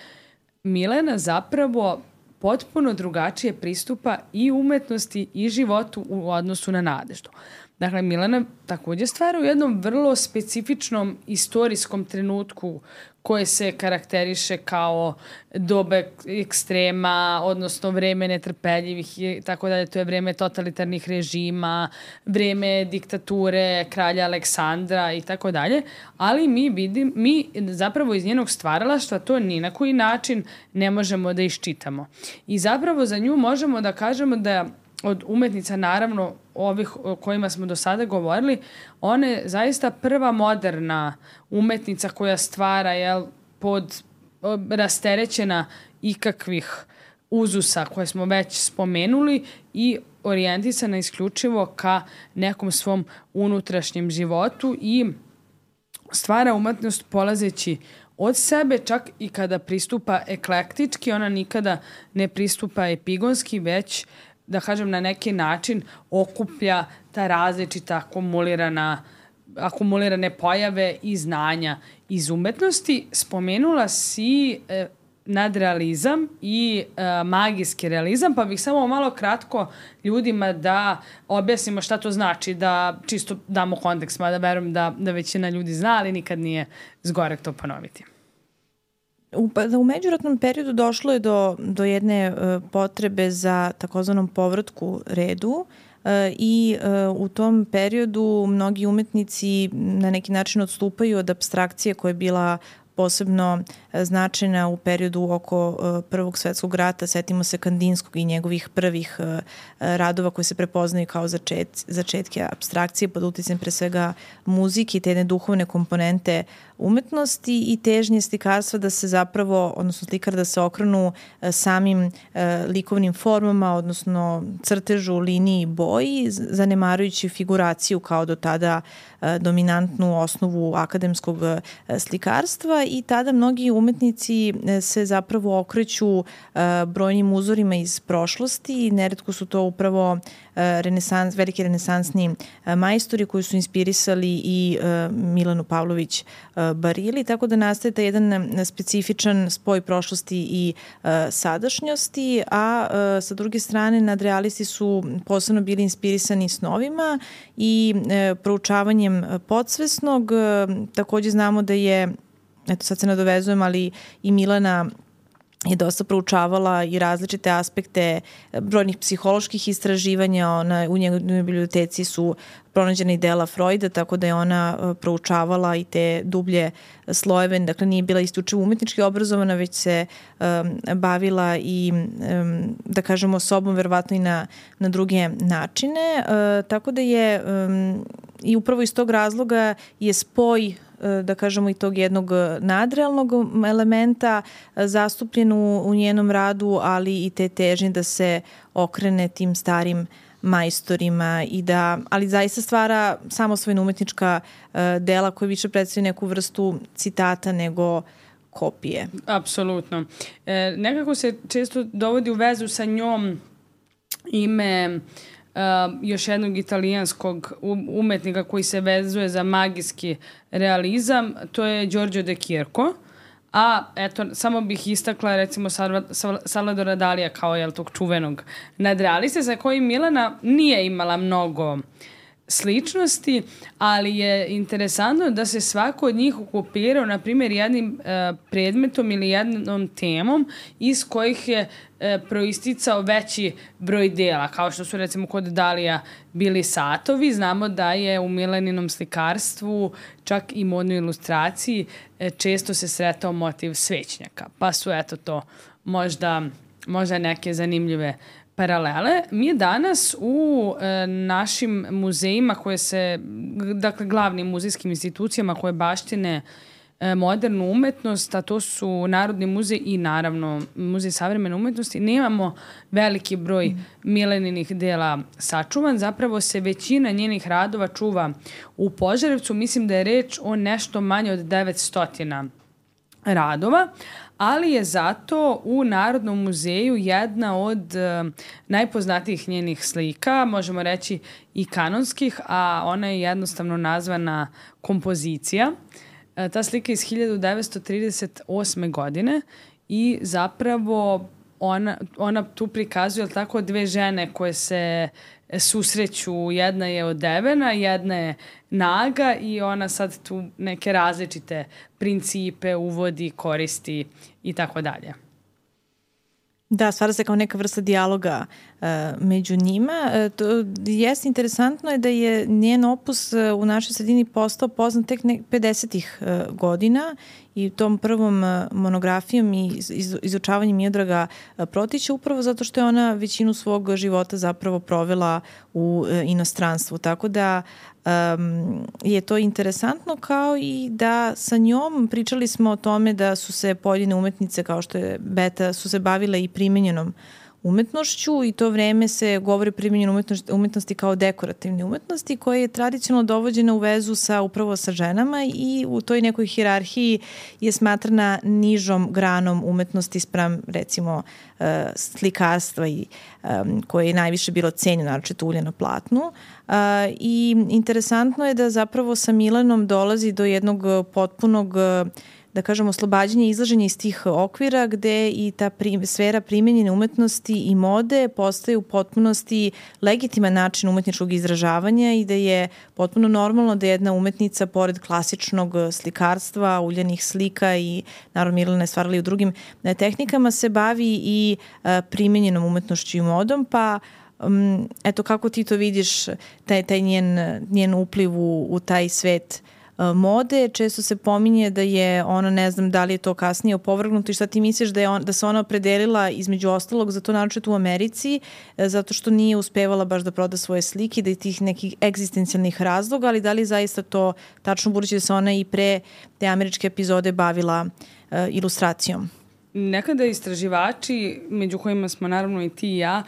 Milena zapravo potpuno drugačije pristupa i umetnosti i životu u odnosu na Nadeždu. Dakle, Milena takođe stvara u jednom vrlo specifičnom istorijskom trenutku koje se karakteriše kao doba ekstrema, odnosno vreme netrpeljivih i tako dalje. To je vreme totalitarnih režima, vreme diktature kralja Aleksandra i tako dalje. Ali mi vidim, mi zapravo iz njenog stvaralaštva to ni na koji način ne možemo da iščitamo. I zapravo za nju možemo da kažemo da od umetnica, naravno, ovih o kojima smo do sada govorili, ona je zaista prva moderna umetnica koja stvara, jel, pod rasterećena ikakvih uzusa koje smo već spomenuli i orijentisana isključivo ka nekom svom unutrašnjem životu i stvara umetnost polazeći od sebe, čak i kada pristupa eklektički, ona nikada ne pristupa epigonski, već da kažem na neki način okuplja ta različita akumulirana, akumulirane pojave i znanja iz umetnosti. Spomenula si e, nadrealizam i e, magijski realizam, pa bih samo malo kratko ljudima da objasnimo šta to znači, da čisto damo kontekst, mada verujem da, da većina ljudi zna, ali nikad nije zgorek to ponoviti. U, u međuratnom periodu došlo je do, do jedne uh, potrebe za takozvanom povratku redu uh, i uh, u tom periodu mnogi umetnici na neki način odstupaju od apstrakcije koja je bila posebno značajna u periodu oko Prvog svetskog rata. Setimo se Kandinskog i njegovih prvih radova koji se prepoznaju kao začet, začetke apstrakcije pod uticajem pre svega muzike i te jedne duhovne komponente umetnosti i težnje slikarstva da se zapravo, odnosno slikar da se okrenu samim likovnim formama, odnosno crtežu, liniji i boji, zanemarujući figuraciju kao do tada dominantnu osnovu akademskog slikarstva i tada mnogi umetnici se zapravo okreću brojnim uzorima iz prošlosti i neretko su to upravo renesans, veliki renesansni majstori koji su inspirisali i Milanu Pavlović Barili, tako da nastaje taj jedan specifičan spoj prošlosti i sadašnjosti, a sa druge strane nadrealisti su posebno bili inspirisani snovima i proučavanjem podsvesnog. Takođe znamo da je, eto sad se nadovezujem, ali i Milana je dosta proučavala i različite aspekte brojnih psiholoških istraživanja. Ona, u njegovoj biblioteci su pronađena i dela Freuda, tako da je ona proučavala i te dublje slojeve. Dakle, nije bila isključivo umetnički obrazovana, već se um, bavila i, um, da kažemo, sobom, verovatno i na, na druge načine. Uh, tako da je um, i upravo iz tog razloga je spoj da kažemo i tog jednog nadrealnog elementa zastupljen u, u njenom radu, ali i te težnje da se okrene tim starim majstorima i da, ali zaista stvara samosvojna umetnička uh, dela koja više predstavlja neku vrstu citata nego kopije. Apsolutno. E, nekako se često dovodi u vezu sa njom ime Uh, još jednog italijanskog umetnika koji se vezuje za magijski realizam, to je Giorgio de Chierco, a eto, samo bih istakla recimo Salvadora Dalija kao jel, tog čuvenog nadrealiste sa kojim Milana nije imala mnogo sličnosti, ali je interesantno da se svako od njih okupirao, na primjer, jednim e, predmetom ili jednom temom iz kojih je e, proisticao veći broj dela, kao što su recimo kod Dalija bili satovi. Znamo da je u Milaninom slikarstvu, čak i modnoj ilustraciji, e, često se sretao motiv svećnjaka, pa su eto to možda, možda neke zanimljive paralele. Mi danas u e, našim muzejima koje se, dakle glavnim muzejskim institucijama koje baštine e, modernu umetnost, a to su Narodni muzej i naravno Muzej savremene umetnosti, nemamo veliki broj mm. Milaninih dela sačuvan. Zapravo se većina njenih radova čuva u Požarevcu. Mislim da je reč o nešto manje od devetsto radova, ali je zato u Narodnom muzeju jedna od uh, najpoznatijih njenih slika, možemo reći i kanonskih, a ona je jednostavno nazvana kompozicija. Ta slika je iz hiljadu devetsto trideset osme. godine i zapravo ona, ona tu prikazuje tako dve žene koje se susreću, jedna je odevena, jedna je naga i ona sad tu neke različite principe uvodi, koristi i tako dalje. Da, stvara se kao neka vrsta dijaloga uh, među njima. Uh, to jeste interesantno je da je njen opus uh, u našoj sredini postao poznat tek ne, pedesetih uh, godina i tom prvom uh, monografijom i iz, izučavanjem Miodraga uh, Protića upravo zato što je ona većinu svog života zapravo provela u uh, inostranstvu. Tako da Um, je to interesantno kao i da sa njom pričali smo o tome da su se pojedine umetnice kao što je Beta su se bavile i primenjenom umetnošću i to vreme se govori o primenjenoj umetnosti, umetnosti kao dekorativne umetnosti koja je tradicionalno dovođena u vezu sa upravo sa ženama i u toj nekoj hijerarhiji je smatrana nižom granom umetnosti spram recimo uh, slikarstva i um, koje je najviše bilo cenjeno, naročito ulje na platnu. Uh, I interesantno je da zapravo sa Milanom dolazi do jednog potpunog da kažemo, oslobađanje i izlaženje iz tih okvira gde i ta prim, sfera primenjene umetnosti i mode postaje u potpunosti legitiman način umetničkog izražavanja i da je potpuno normalno da jedna umetnica pored klasičnog slikarstva, uljanih slika i naravno Milana je stvarala i u drugim tehnikama se bavi i a, primenjenom umetnošću i modom, pa um, eto kako ti to vidiš taj, taj njen, njen upliv u, u taj svet mode, često se pominje da je ona, ne znam da li je to kasnije opovrgnuto i šta ti misliš da, je on, da se ona opredelila između ostalog za to naročito u Americi, zato što nije uspevala baš da proda svoje slike, da je tih nekih egzistencijalnih razloga, ali da li zaista to tačno budući da se ona i pre te američke epizode bavila uh, ilustracijom? Nekada istraživači, među kojima smo naravno i ti i ja,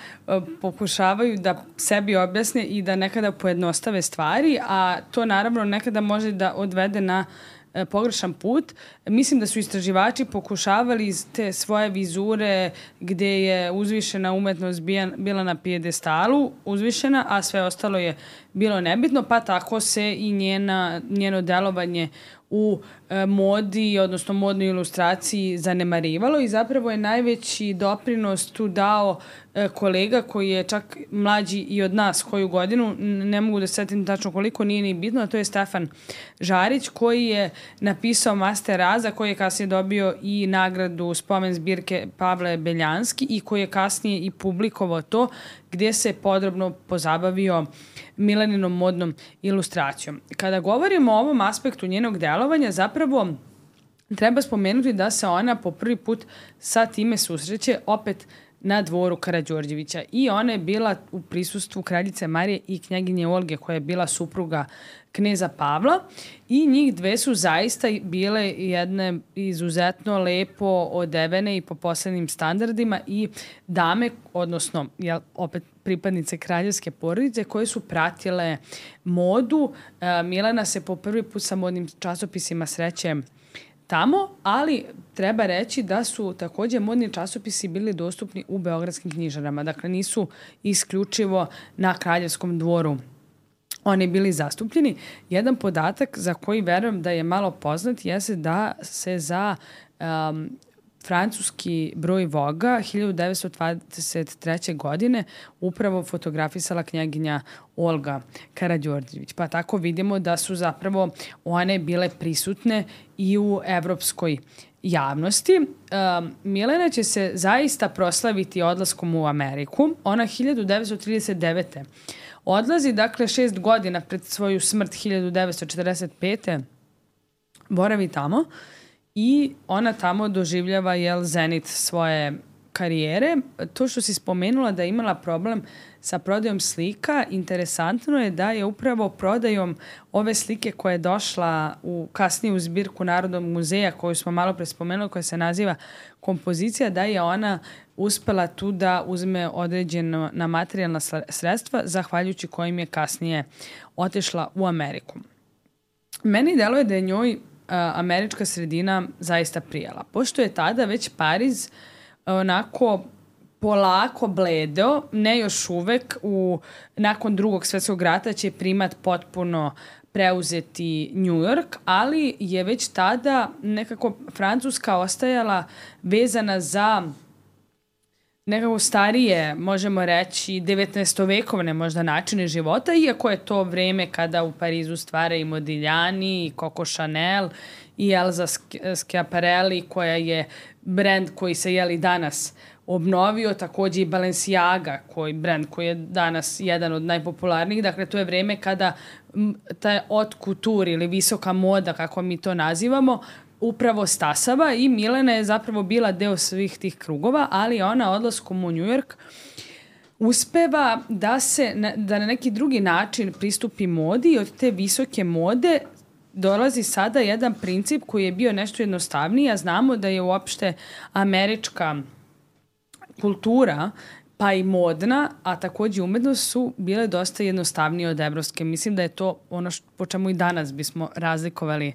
pokušavaju da sebi objasne i da nekada pojednostave stvari, a to naravno nekada može da odvede na pogrešan put. Mislim da su istraživači pokušavali iz te svoje vizure gde je uzvišena umetnost bila na pijedestalu, uzvišena, a sve ostalo je bilo nebitno, pa tako se i njena, njeno delovanje u e, modi, odnosno modnoj ilustraciji zanemarivalo i zapravo je najveći doprinos tu dao e, kolega koji je čak mlađi i od nas koju godinu, ne mogu da setim tačno koliko, nije ni bitno, a to je Stefan Žarić koji je napisao Master Raza, koji je kasnije dobio i nagradu spomen zbirke Pavle Beljanski i koji je kasnije i publikovao to gdje se podrobno pozabavio Milaninom modnom ilustracijom. Kada govorimo o ovom aspektu njenog delovanja, zapravo treba spomenuti da se ona po prvi put sa time susreće opet na dvoru Karađorđevića i ona je bila u prisustvu kraljice Marije i knjaginje Olge koja je bila supruga kneza Pavla i njih dve su zaista bile jedne izuzetno lepo odevene i po posebnim standardima i dame, odnosno jel, opet pripadnice kraljevske porodice koje su pratile modu. E, Milana se po prvi put sa modnim časopisima sreće tamo, ali treba reći da su takođe modni časopisi bili dostupni u beogradskim knjižarama. Dakle, nisu isključivo na kraljevskom dvoru oni bili zastupljeni. Jedan podatak za koji verujem da je malo poznat jeste da se za um, francuski broj Voga hiljadu devetsto dvadeset treće. godine upravo fotografisala knjaginja Olga Karađorđević. Pa tako vidimo da su zapravo one bile prisutne i u evropskoj javnosti. Um, Milena će se zaista proslaviti odlaskom u Ameriku. Ona hiljadu devetsto trideset devete. odlazi, dakle šest godina pred svoju smrt hiljadu devetsto četrdeset pete. boravi tamo i ona tamo doživljava jel, zenit svoje karijere. To što si spomenula da je imala problem sa prodajom slika, interesantno je da je upravo prodajom ove slike koja je došla u kasniju zbirku Narodnog muzeja koju smo malo pre spomenuli, koja se naziva Kompozicija, da je ona uspela tu da uzme određena na materijalna sredstva, zahvaljujući kojim je kasnije otišla u Ameriku. Meni deluje da je njoj a, američka sredina zaista prijala, pošto je tada već Pariz onako polako bledeo, ne još uvek, u, nakon drugog svjetskog rata će primat potpuno preuzeti New York, ali je već tada nekako Francuska ostajala vezana za nekako starije, možemo reći, devetnaestovekovne možda načine života, iako je to vreme kada u Parizu stvara i Modigliani, i Coco Chanel, i Elsa Schiaparelli, koja je brend koji se jeli danas obnovio, takođe i Balenciaga, koji brend koji je danas jedan od najpopularnijih. Dakle, to je vreme kada taj haute couture ili visoka moda, kako mi to nazivamo, upravo stasava i Milena je zapravo bila deo svih tih krugova, ali ona odlaskom u New York uspeva da se da na neki drugi način pristupi modi i od te visoke mode dolazi sada jedan princip koji je bio nešto jednostavniji, a znamo da je uopšte američka kultura pa i modna, a takođe umetnost su bile dosta jednostavnije od evropske. Mislim da je to ono što, po čemu i danas bismo razlikovali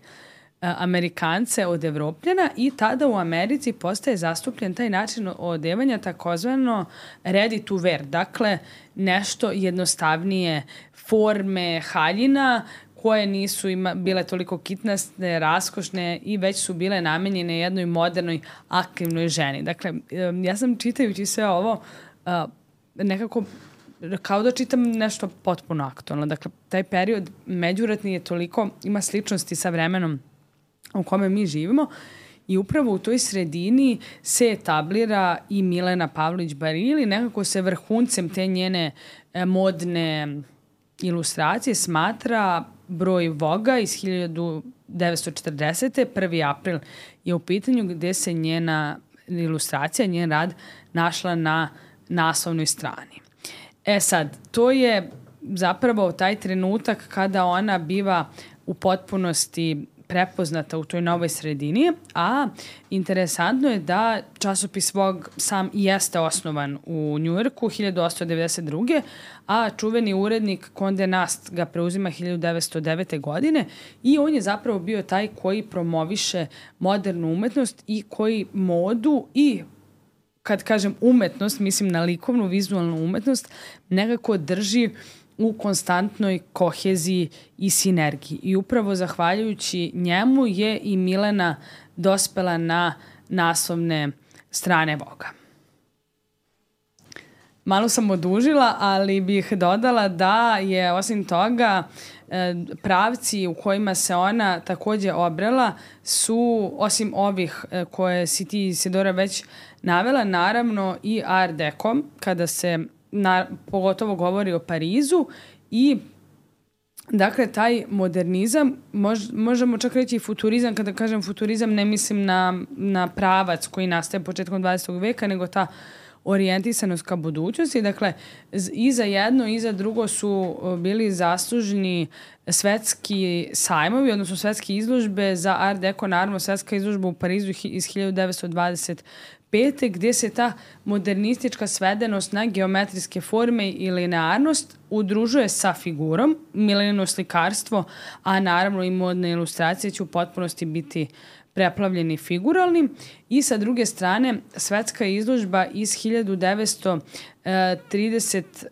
Amerikance od Evropljana i tada u Americi postaje zastupljen taj način odevanja takozvano ready to wear, dakle nešto jednostavnije forme haljina koje nisu ima, bile toliko kitnaste, raskošne i već su bile namenjene jednoj modernoj aktivnoj ženi. Dakle, ja sam čitajući sve ovo nekako kao da čitam nešto potpuno aktualno. Dakle, taj period međuratni je toliko, ima sličnosti sa vremenom u kome mi živimo i upravo u toj sredini se etablira i Milena Pavlović Barili, nekako se vrhuncem te njene modne ilustracije smatra broj Voga iz hiljadu devetsto četrdesete. prvi april je u pitanju gde se njena ilustracija, njen rad našla na naslovnoj strani. E sad, to je zapravo taj trenutak kada ona biva u potpunosti prepoznata u toj novoj sredini, a interesantno je da časopis Vogue sam jeste osnovan u Njujorku hiljadu osamsto devedeset druge. a čuveni urednik Condé Nast ga preuzima hiljadu devetsto devete. godine i on je zapravo bio taj koji promoviše modernu umetnost i koji modu i, kad kažem umetnost, mislim na likovnu, vizualnu umetnost, nekako drži u konstantnoj koheziji i sinergiji. I upravo zahvaljujući njemu je i Milena dospela na naslovne strane Voga. Malo sam odužila, ali bih dodala da je osim toga pravci u kojima se ona takođe obrela su, osim ovih koje si ti, Isidora, već navela, naravno i Art Deco, kada se Na, pogotovo govori o Parizu i dakle taj modernizam, mož, možemo čak reći i futurizam, kada kažem futurizam ne mislim na, na pravac koji nastaje početkom dvadesetog veka, nego ta orijentisanost ka budućnosti. Dakle, i za jedno i za drugo su bili zaslužni svetski sajmovi, odnosno svetske izložbe za Art Deco, naravno svetska izložba u Parizu iz hiljadu devetsto dvadeset pete. gde se ta modernistička svedenost na geometrijske forme i linearnost udružuje sa figurom, Milenino slikarstvo, a naravno i modne ilustracije će u potpunosti biti preplavljeni figuralnim. I sa druge strane, svetska izložba iz hiljadu devetsto trideset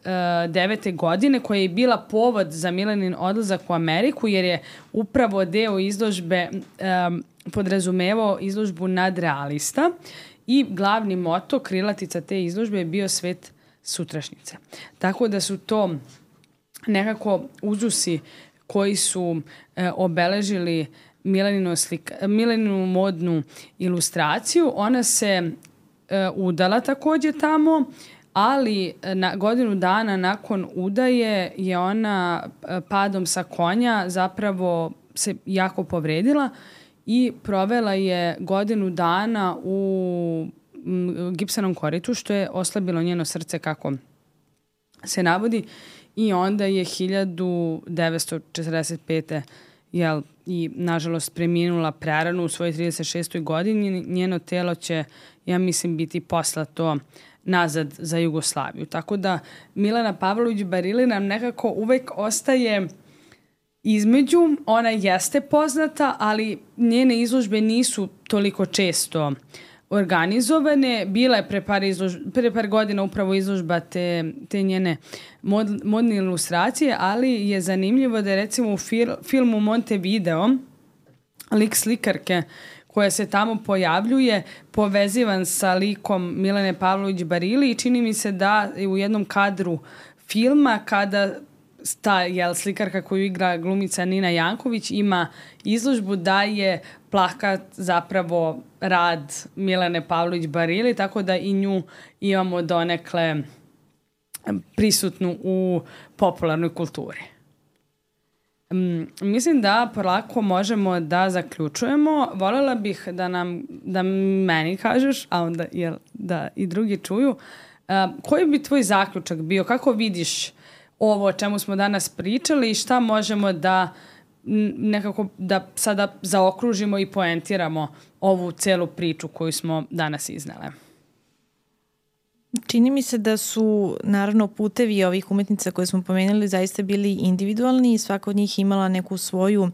devete. godine, koja je bila povod za Milenin odlazak u Ameriku, jer je upravo deo izložbe um, podrazumevao izložbu nadrealista. I glavni moto, krilatica te izložbe je bio svet sutrašnjice. Tako da su to nekako uzusi koji su e, obeležili Mileninu, slika, Mileninu modnu ilustraciju. Ona se e, udala takođe tamo, ali na godinu dana nakon udaje je ona padom sa konja zapravo se jako povredila i provela je godinu dana u gipsanom koritu, što je oslabilo njeno srce, kako se navodi, i onda je hiljadu devetsto četrdeset pete. Jel, i nažalost preminula prerano u svojoj trideset šestoj. godini. Njeno telo će, ja mislim, biti poslato nazad za Jugoslaviju. Tako da Milena Pavlović Barili nam nekako uvek ostaje između. Ona jeste poznata, ali njene izložbe nisu toliko često organizovane. Bila je pre par, izlož, pre par godina upravo izložba te, te njene mod, modne ilustracije, ali je zanimljivo da je recimo u fil, filmu Montevideo lik slikarke koja se tamo pojavljuje povezivan sa likom Milene Pavlović Barili i čini mi se da u jednom kadru filma kada ta jel, slikarka koju igra glumica Nina Janković ima izložbu da je plakat zapravo rad Milene Pavlović Barili, tako da i nju imamo donekle prisutnu u popularnoj kulturi. Um, mislim da polako možemo da zaključujemo. Voljela bih da nam, da meni kažeš, a onda jel, da i drugi čuju, uh, koji bi tvoj zaključak bio? Kako vidiš ovo o čemu smo danas pričali i šta možemo da nekako da sada zaokružimo i poentiramo ovu celu priču koju smo danas iznele? Čini mi se da su naravno putevi ovih umetnica koje smo pomenuli zaista bili individualni i svaka od njih imala neku svoju um,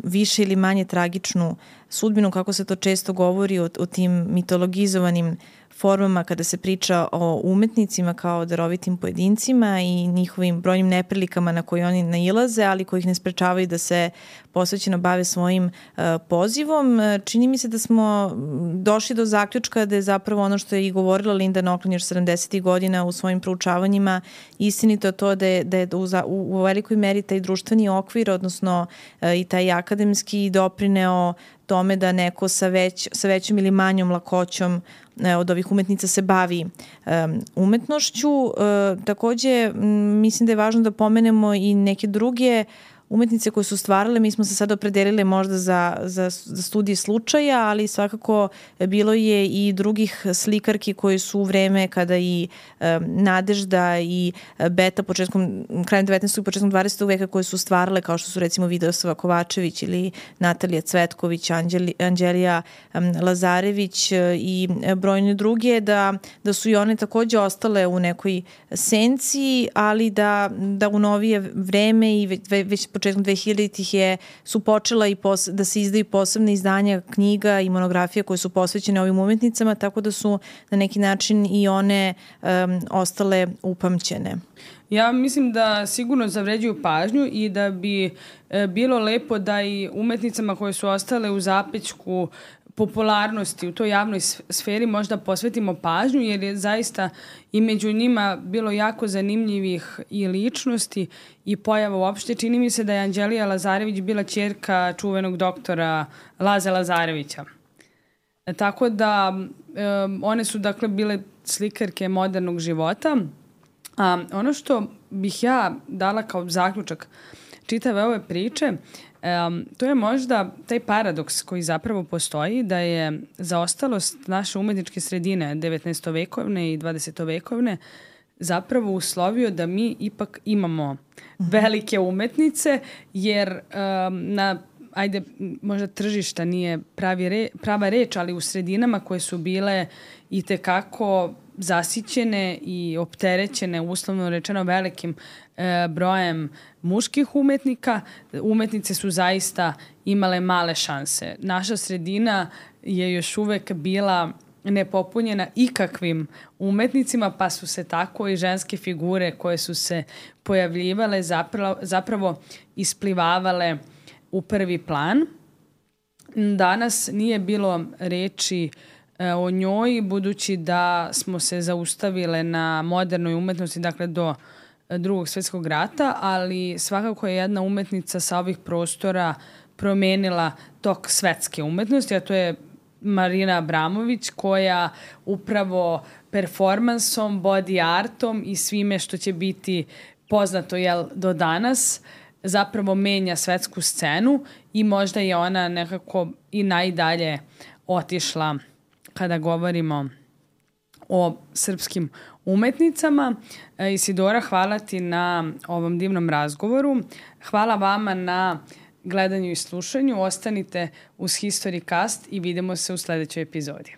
više ili manje tragičnu sudbinu, kako se to često govori o, o tim mitologizovanim formama kada se priča o umetnicima kao darovitim pojedincima i njihovim brojnim neprilikama na koje oni nailaze, ali koji ih ne sprečavaju da se posvećeno bave svojim uh, pozivom. Čini mi se da smo došli do zaključka da je zapravo ono što je i govorila Linda Nochlin još sedamdesetih godina u svojim proučavanjima istinito to da je, da je u, u, u velikoj meri taj društveni okvir, odnosno uh, i taj akademski doprineo tome da neko sa, već, sa većom ili manjom lakoćom od ovih umetnica se bavi um, umetnošću. Uh, takođe, m, mislim da je važno da pomenemo i neke druge umetnice koje su stvarale. Mi smo se sad opredelile možda za, za, za studije slučaja, ali svakako bilo je i drugih slikarki koji su u vreme kada i um, Nadežda i Beta početkom, krajem devetnaestog i početkom dvadesetog veka koje su stvarale, kao što su recimo Vidosava Kovačević ili Natalija Cvetković, Anđeli, Anđelija um, Lazarević i brojne druge, da, da su i one takođe ostale u nekoj senci, ali da, da u novije vreme i već, već početkom dvehiljaditih je, su počela i pos, da se izdaju posebne izdanja knjiga i monografija koje su posvećene ovim umetnicama, tako da su na neki način i one um, ostale upamćene. Ja mislim da sigurno zavređuju pažnju i da bi e, bilo lepo da i umetnicama koje su ostale u zapećku popularnosti u toj javnoj sferi možda posvetimo pažnju, jer je zaista i među njima bilo jako zanimljivih i ličnosti i pojava uopšte. Čini mi se da je Anđelija Lazarević bila ćerka čuvenog doktora Laze Lazarevića. E, tako da e, one su dakle bile slikarke modernog života. A, ono što bih ja dala kao zaključak čitave ove priče, Um, to je možda taj paradoks koji zapravo postoji, da je zaostalost naše umetničke sredine devetnaestovekovne i dvadesetovekovne zapravo uslovio da mi ipak imamo velike umetnice, jer um, na ajde, možda tržišta nije pravi re, prava reč, ali u sredinama koje su bile i tekako zasićene i opterećene, uslovno rečeno, velikim e, brojem muških umetnika, umetnice su zaista imale male šanse. Naša sredina je još uvek bila nepopunjena ikakvim umetnicima, pa su se tako i ženske figure koje su se pojavljivale zapravo, zapravo isplivavale u prvi plan. Danas nije bilo reči o njoj, budući da smo se zaustavile na modernoj umetnosti, dakle do Drugog svjetskog rata, ali svakako je jedna umetnica sa ovih prostora promenila tok svetske umetnosti, a to je Marina Abramović, koja upravo performansom, body artom i svime što će biti poznato jel, do danas zapravo menja svetsku scenu i možda je ona nekako i najdalje otišla kada govorimo o srpskim umetnicama. Isidora, hvala ti na ovom divnom razgovoru. Hvala vama na gledanju i slušanju. Ostanite uz HistoryCast i vidimo se u sledećoj epizodi.